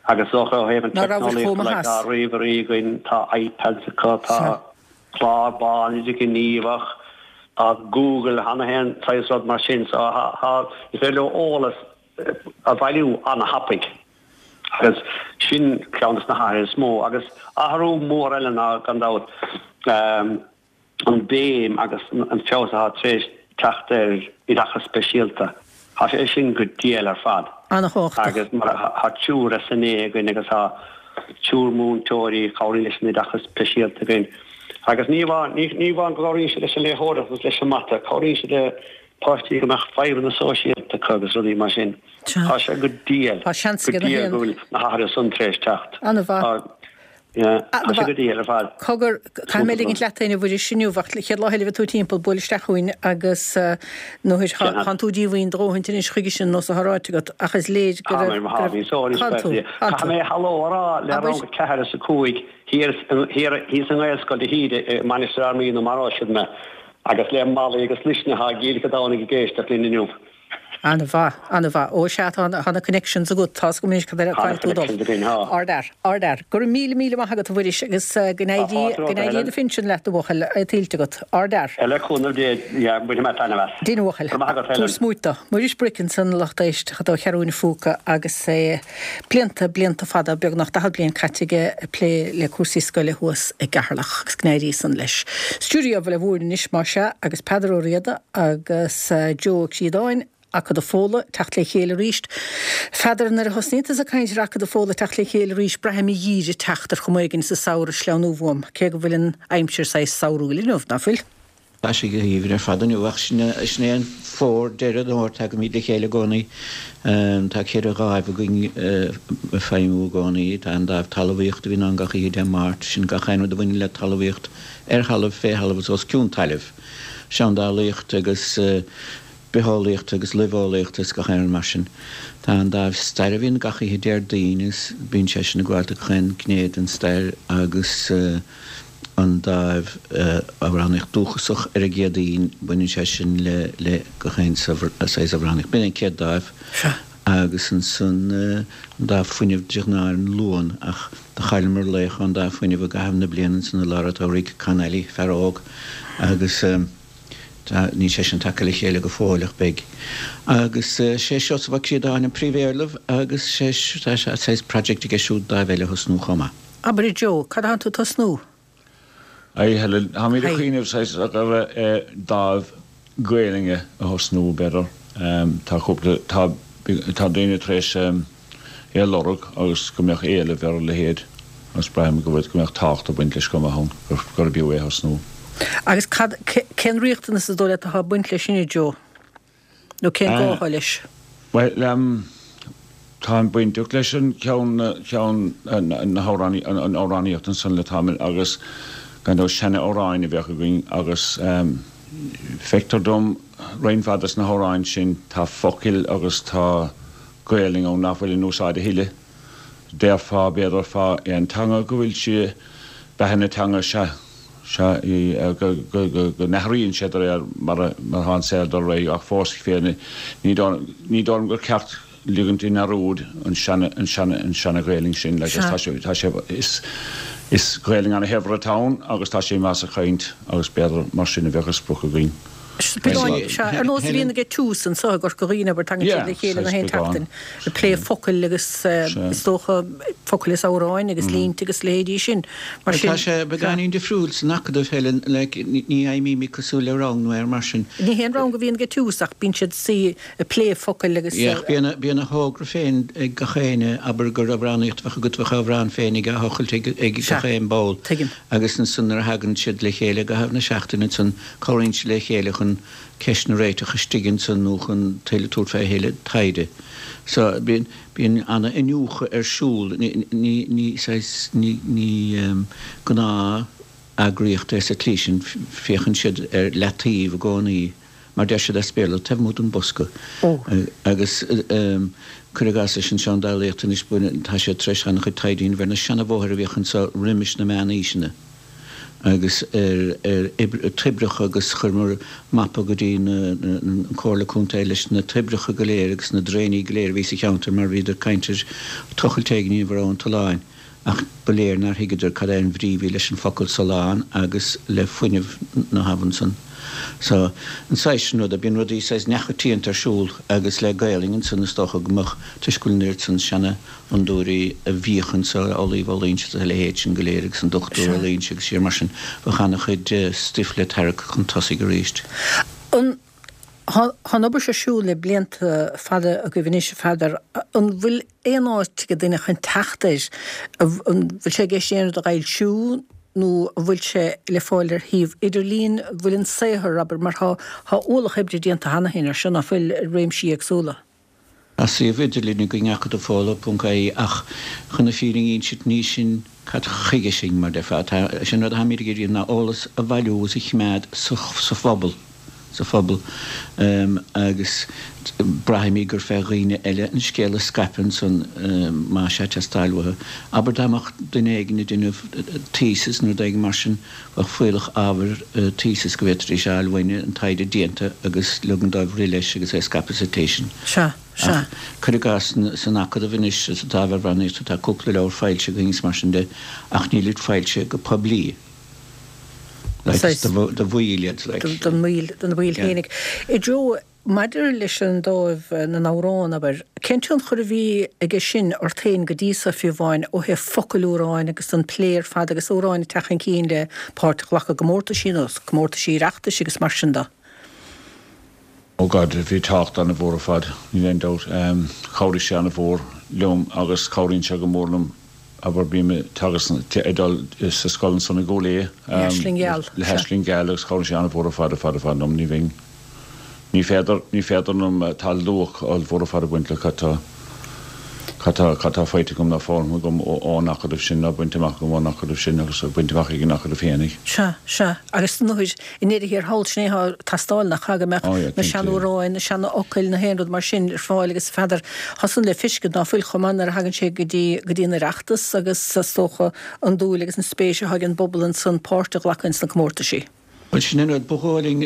S5: Agus is dócha ó thaobh an
S1: Ná rabhais
S5: teicneolaíocht
S1: chomh maith
S5: like
S1: as.
S5: tá ríomhairí againn, tá iPads acu, tá clár bán idirghníomhach, tá Google, tá na haon saghas rud mar sin so tá, is féidir leo eolas a bhailiú ana-thapaidh agus sin ceann des na hathruithe is mó. Agus athrú mór eile ná gan dabht, an bhéim agus an feabhas atá tar éis teacht ar oideachas speisialta. Tá sé sin go diail ar fad.
S1: Ana-thábhachtach.
S5: Agus mar tá triúr SNA againn agus tá triúr múinteoirí a chabhraíonn leis an oideachas speisialta againn. Agus ní amháin, ní amháin go gcabhraíonn siad leis an léitheoireacht agus leis an mata, cabhraíonn siad le páistí go mbeadh fadhbanna sóisialta acu agus rudaí mar sin. Tá sé go diail,
S1: Tá seans
S5: go
S1: ag na
S5: diail
S1: haon.
S5: go bhfuil na hathruithe san tar éis teacht.
S1: Ana-mhaith.
S5: Yeah, tá sé go diail ar fad.
S1: Cogar, caithfidh mé ligint leat féin a Mhuiris inniu, ach chéad lá eile a bheidh tú timpeall, buail isteach chugainn agus nuair thánn tú díomhaoin do dhóthaint anois chuige sin, nós atá ráite agat, ach is léir go
S5: Tá mé, tá mé, so anois
S1: Tánn tú, tánn
S5: Caithfidh
S1: tú.
S5: mé hello a rá le
S1: Abair.
S5: rang 4 is 5 thiar thiar thíos i nGaelscoil de hÍde i Mainistir Fhear Maí nó maróidh siad mé agus le Molly agus Luisne atá i gCill Chadánaigh ag éisteacht linn inniu.
S1: An-mhaith, an-mhaith. Ó sea, tá na connections agat, tá's agam anois cad air
S5: Tá na
S1: caithfidh tú dul.
S5: connections againn, tá.
S1: Ardfhear, ardfhear. Go raibh míle, míle maith agat a Mhuiris agus go
S5: Tá
S1: n-éirí,
S5: fáilte
S1: go
S5: romhat, a
S1: n-éirí
S5: Helen.
S1: do phinsean leat a bhuachaill, é tuillte agat. Ardfhear.
S5: Le cúnamh Dé, yeah, bainfidh mé taitneamh as.
S1: Dein a bhuachaill.
S5: Go raibh maith agat,
S1: Tabhair
S5: Helen.
S1: smúit dó. Muiris Bric ansan, a lucht éisteachta ó Cheathrú an Phúca agus é blianta, blianta fada, beagnach 40 bliain caite aige ag plé le cúrsaí scoile thuas i gCeatharlach agus go n-éirí san leis. Stiúideo Bhaile Mhúirne anois más ea agus Peadar Ó Riada agus Joe Ó Críodáin, Acadamh Fódhla, teacht le chéile arís. Pheadair, nuair a thosnaíonn tusa ag caint ar Acadamh Fódhla teacht le chéile arís, braithim a dhíre teacht ar chuma éigin sa samhradh sleamhnú uaim, cé go bhfuil an aimsir saghas samhrúil inniu, ná fuil?
S6: Tá sé go haoibhinn ar fad inniu ach sin é an fómhar, deireadh an fhómhair, tagaimid le chéile i gcónaí. Tá cheithre dháimh againn ag feidhmiú i gcónaí. Tá an dáimh talmhaíochta a bhíonn ann gach oíche Dé Máirt, sin gach aon rud a bhaineann le talmhaíocht ar thalamh, fé thalamh is os cionn tailimh. Seandálaíocht agus bitheolaíocht agus luibheolaíocht is gach aon rud mar sin. Tá an dáimh staire a bhíonn gach oíche Déardaoin agus bíonn sé sin ag gabháil do gach aon ghné den stair agus. an dáimh amhránaíocht dúchasach ar an gCéadaoin, baineann sé sin le le gach aon saghas amhránaíocht. B'in an chéad dáimh agus ansan an dáimh fuinnimh de ghnáth ar an Luan ach do chailleamar laoch ón dáimh fuinnimh i gcaitheamh na bliana ansan i lár an tsamhraidh, Con Alley, fear óg agus tá, níl sé sin tagtha le chéile go fóill ach beidh. Agus sé Seosamh Ó Críodáin an príomhéarlamh agus sé, tá saghas project aige siúd dáimh eile a thosnú chomh maith.
S1: Abair a Joe, cad atánn tú ag tosnú?
S7: Haigh Helen, táimid ag
S1: Haigh.
S7: cuimhneamh saghas ar dáimh Gaelainne a thosnú b'fhéidir. Tá cúpla, tá, tá daoine tar éis é a lorg agus go mbeadh éileamh ar a leithéid agus braithim go bhfuil, go mbeadh tábhacht ag baint leis chomh maith ann, gur, gurb fhiú é a thosnú.
S1: Agus cad, cén riachtanas is dóigh leat atá ag baint leis sin a Joe? Nó cén gá atá leis?
S7: Bhuel, táim bainteach leis an cheann, ceann na hamhránaí, an amhránaíocht ansan le tamall agus gan dabht seana-amhráin a bheadh againn agus feictear dom roinnt mhaith des na hamhráin sin tá focail agus tá Gaelainn ann nach bhfuil in úsáid a thuilleadh. Déarfá, b'fhéidir, fá aon teanga go bhfuil sí, beatha na teanga, sea, sea, go, go, go, go n-athraíonn sé de réir mar a, mar atá an saol ag dul ar aghaidh ach fós féin ní dóigh, ní dóigh liom gur ceart ligint i ndearúd an seana, an seana, an seana-Ghaelainn sin like
S1: Sea.
S7: tá sé, tá sé, is, is Gaelainn ana-shaibhir atá ann agus tá sé maith sa chaint agus b'fhéidir mar sin a bheadh an sprioc againn.
S1: Sea, ar nós a bhíonn ag Tús anseo i gCorca Dhuibhne, abair, tagann siad le chéile na haon tseachtain ag plé focail agus is dócha focail is amhráin agus línte agus leithéidí sin. Mar sin.
S6: Tá sé beagáinín difriúil san Acadamh, Helen, like, ní fheidhmímid cosúil le rang nó aon rud mar sin.
S1: Ní haon rang a bhíonn ag Tús ach bíonn siad suí ag plé focail agus.
S6: Yeah, ach bíonn, bíonn a thogra féin ag gach éinne, abair gur amhránaíocht a bheadh agat, bheadh amhrán féin ag á thochailt ag, ag gach aon ball.
S1: Tuigim.
S6: Agus ansan nuair a thagann siad le chéile i gcaitheamh na seachtaine ansan, Cabhraíonn siad le chéile chun ceisteanna a réiteach istigh ansan nó chun tuilleadh tabhairt fé thuilleadh taighde. So, bíonn, bíonn ana-iniúchadh ar siúl. Ní, ní, ní saghas, ní, ní gnáth eagraíocht é sa tslí sin. Féachann siad ar leataobh i gcónaí, mar deir siad as Béarla, taobh amuigh den bosca. Agus cuir i gcás leis an seandálaíocht anois, baineann, tá siad tar éis an-chuid taighde a dhéanamh ar na seana-bhóithre a bhíodh anso roimis na meánaoiseanna. agus ar toibreacha agus chuireamar mapa go dtí an Comhairle Contae leis na toibreacha go léir agus na draenaí go léir a bhí sa cheantar mar bhíodar ag caint ar tochailt éigin a dhéanamh ar Abhainn an tSuláin ach ba léir nár thuigeadar cad é an bhrí a bhí leis an focal sulán agus le fuinneamh na habhann san. So, an saghas sin ruda, bíonn rudaí saghas neamhchoitianta ar siúl agus le Gaelainn ansan is dócha go mbeadh, toisc go bhfuil an oiread san seana fhondúirí a bhíodh anso, Amhlaoibh Ó Loingsigh agus a leithéid sin go léir agus an Dochtúir Ó Loingsigh agus siar mar sin, bheadh ana-chuid stuif le tarrac chun tosaigh arís.
S1: An, tá an obair seo ar siúl le blianta fada agaibh anois, a Pheadair. An bhfuil aon áit ag duine chun teacht air? An bhfuil sé i gceist aon rud a fhoilsiú nó an bhfuil sé le fáil ar shuíomh idirlín? An bhfuil an saothar, abair, mar tá, tá ualach oibre déanta cheana féin air seo, ná fuil, i réimsí éagsúla?
S6: Tá suíomh idirlín againn, acadamhfódhla.ie, ach chun na fírinne a insit ní sin cad chuige sinn, mar déarfá. Tá, sé an rud atáimid ag iarraidh ná eolas a bhailiú agus a chimeád sa phobal. sa phobal agus braithimid gur fé dhaoine eile an scéal a scaipeadh ansan má tá sé ag teastáil uathu. Abair dá mbeadh duine éigin ag déanamh thesis nó rud éigin mar sin, bheadh fuíollach ábhair thesis go bhféadfaidís a fháil uainne, an taighde déanta agus ligean dóibh rith leis agus é a scaipeadh sa tslí sin.
S1: Sea, sea.
S6: Ach cuir i gcás san Acadamh anois sa dáimh amhránaíochta tá cúpla leabhar foilsithe againn is mar sin de ach nílid foilsithe go poiblí. Like, is do bhaill iad, like.
S1: Don bhaill, do na baill fhéinig. A Joe, maidir leis an dáimh na n-amhrán, abair, cén tionchar a bhí aige sin ort féin go dtí so fiú amháin ó thaobh focail amhráin agus an plé ar fad agus amhráin ag teacht chun cinn le páirt a ghlacadh i gcomórtaisí nó comórtaisí Oireachtais agus mar sin de?
S7: Oh God, bhí tábhacht an-mhór ar fad, níl aon dabht. Chabhraigh sé an-mhór liom agus cabhraíonn sé go mór liom. Abair, bím ag teagasc, ag dul sa scoil ansan i gCúil Aodha.
S1: Le hAisling Gheal.
S7: Le hAisling Gheal agus cabhraíonn sé an-mhór ar fad, ar fad, ar fad liom. Ní bheinn, ní féidir, ní féidir liom, tá luach ollmhór ar fad ag baint le cad tá, cad tá, cad tá faighte agam nó foghlamtha agam ón acadamh sin nó bainte amach agam ón acadamh sin agus bainte amach ag an acadamh féinig.
S1: Sea, sea. Agus nuair, I ndeireadh thiar thall, sin é atá ag teastáil, nach ea, go mbeadh na seanamhráin, na seanfhocail, na haon rud mar sin ar fáil agus n'fheadar, tá san le feiscint ná fuil chomh maith nuair a thagann sé go dtí, go dtí an Oireachtas agus is dócha an dúil agus an spéis atá ag an bpobal ansan páirt a ghlacadh ins na comórtaisí.
S6: Bhuel, sin an rud, ba dhóigh linn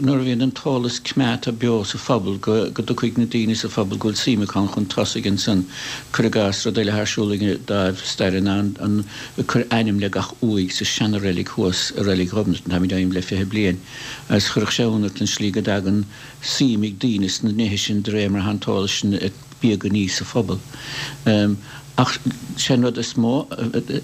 S6: nuair a bhíonn an t-eolas coimeádta beo sa phobal go dtiocfaidh na daoine sa phobal go bhfuil suim acu ann chun tosaigh ansan. Cuir i gcás, rud eile atá ar siúl ag an dáimh staire ná an ag cur ainm le gach uaigh sa seana-reilig thuas i Reilig Ghobnatan, táimid á dhéanamh le 20 bliain, agus chuirfeadh sé ionadh ort an slí go dtagann suim ag daoine sna nithe sin de réir mar atá an t-eolas sin ag bíogadh aníos sa phobal. Ach sé an rud is mó,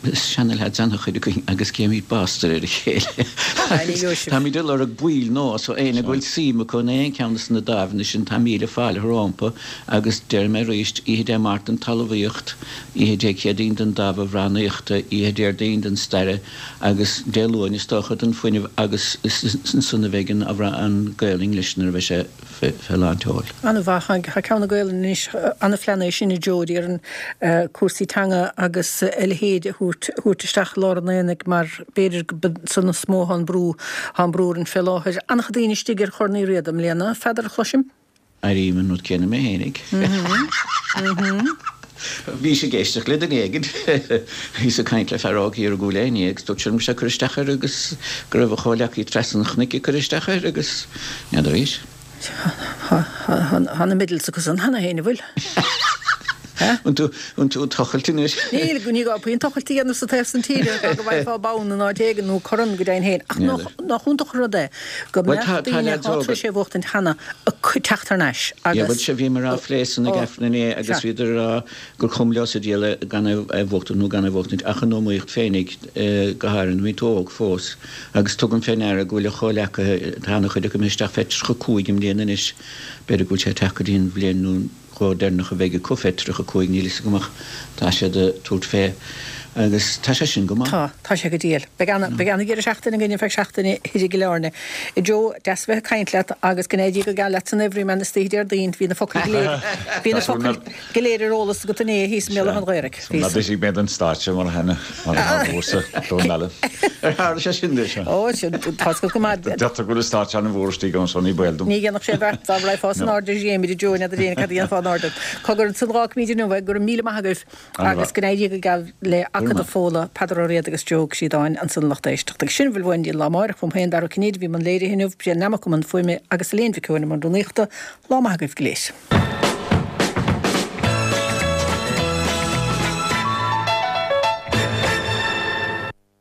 S6: is seana-leaids an-chuid againn agus géimid bastard ar a chéile agus táimid ag lorg baill nua so éinne go bhfuil suim acu in aon cheann de na dáimheanna sin tá míle fáilte rompu agus déarfaidh mé arís, oíche Dé Máirt don talmhaíocht, Oíche Dé Céadaoin don Dámh Amhránaíochta, Oíche Déardaoin don Staire agus Dé Luain is dócha don Fuinneamh agus is ansan a bheidh an Gaolainn leis nuair a bheidh sé fé lán tseoil.
S1: An-mhaith. Tá ceann na Gaolainne anois, an-phlean é sin a Joe, déarfainn, cúrsaí teanga agus a leithéid a thabhairt isteach i lár an aonaigh mar b'fhéidir gurb ansan is mó atá an brú, tá an brú orainn fé láthair. An-chuid daoine istigh ar Chorn Uí Riada i mbliana, Pheadair a chloisim?
S6: Airím an rud céanna mé fhéinig. Bhís ag éisteacht le duine éigin. Bhíos ag caint le fear óg thiar i gCúil Aodha inné agus dúirt sé liom go raibh sé ag cur isteach air agus go raibh a chomhleacaí trasna an chnoic ag cur isteach air agus n'fheadar arís.
S1: Tá na medals acu san cheana féin, an bhfuil?
S6: An tú ag tochailt anois?
S1: Níl, ní gá puinn tochailt a dhéanamh sa taobh san tíre go bhfaighfeá bonn in áit éigin nó corn go deimhin féin. Ach nach iontach an rud é go mbeadh daoine atá tar éis é a bhuachtaint cheana ag teacht thar n-ais
S6: agus. Bhuel, sea, bhíomar á phlé san ag Aifreann inné agus bhíodar ag rá gur chuma leo sa diabhal gan é a bhuachtaint nó gan é a bhuachtaint ach an iomaíocht féinig, go háirithe nuair a bhíonn tú óg fós. Agus tugaim fé ndeara go bhfuil a chomhleacaithe, tá ana-chuid acu imithe isteach fé 35 i mbliana anois, b'fhéidir go bhfuil sé ag teacht go dtí an bhliain nó dhó deireanach a bheidh acu fé 35, níl fhios agam ach tá siad ag tabhairt fé agus tá sé sin go maith.
S1: Tá, tá sé go diail. Beidh ana, beidh ana dheireadh seachtaine againn feadh seachtaine thoir i gCill Airne. A Joe, deas a bheith ag caint leat agus go n-éirí go geal leat san Everyman istoíche Déardaoin. Bhí na focail go léir, bhí na focail go léir ar eolas agat inné thíos i mBéal Átha an Ghaorthaidh. Bhí
S7: Ná d'eisigh mé den stáitse mar a thána, mar a tharla uairse, don eile.
S6: Ar tharla sé sin duit?
S1: Ó, sin, tá fhios agat go maith.
S7: Deirtear go bhfuil an stáitse an-mhór istigh ann so ní baol dom.
S1: Ní dhéanfadh sé beart dá raghfá san airde dréimire, Joe, n'fheadar éinne cad a dhéanfá in airde. Cogar ansan dh'fhágfaimid inniu é, go raibh míle maith agaibh agus go n-éirí go geal le Acadamh Fódhla, Peadar Ó Riada agus Joe Ó Críodáin ansan a lucht éisteachta. Agus sin a bhfuil uainn go dtí an lá amáireach, uaim féin, Dara Ó Cinnéide, a bhí i mbun léirithe inniu, Brian Nammock i mbun fuaime agus Elaine Mhic Eoin i mbun rúnaíochta. Lá maith agaibh go léir.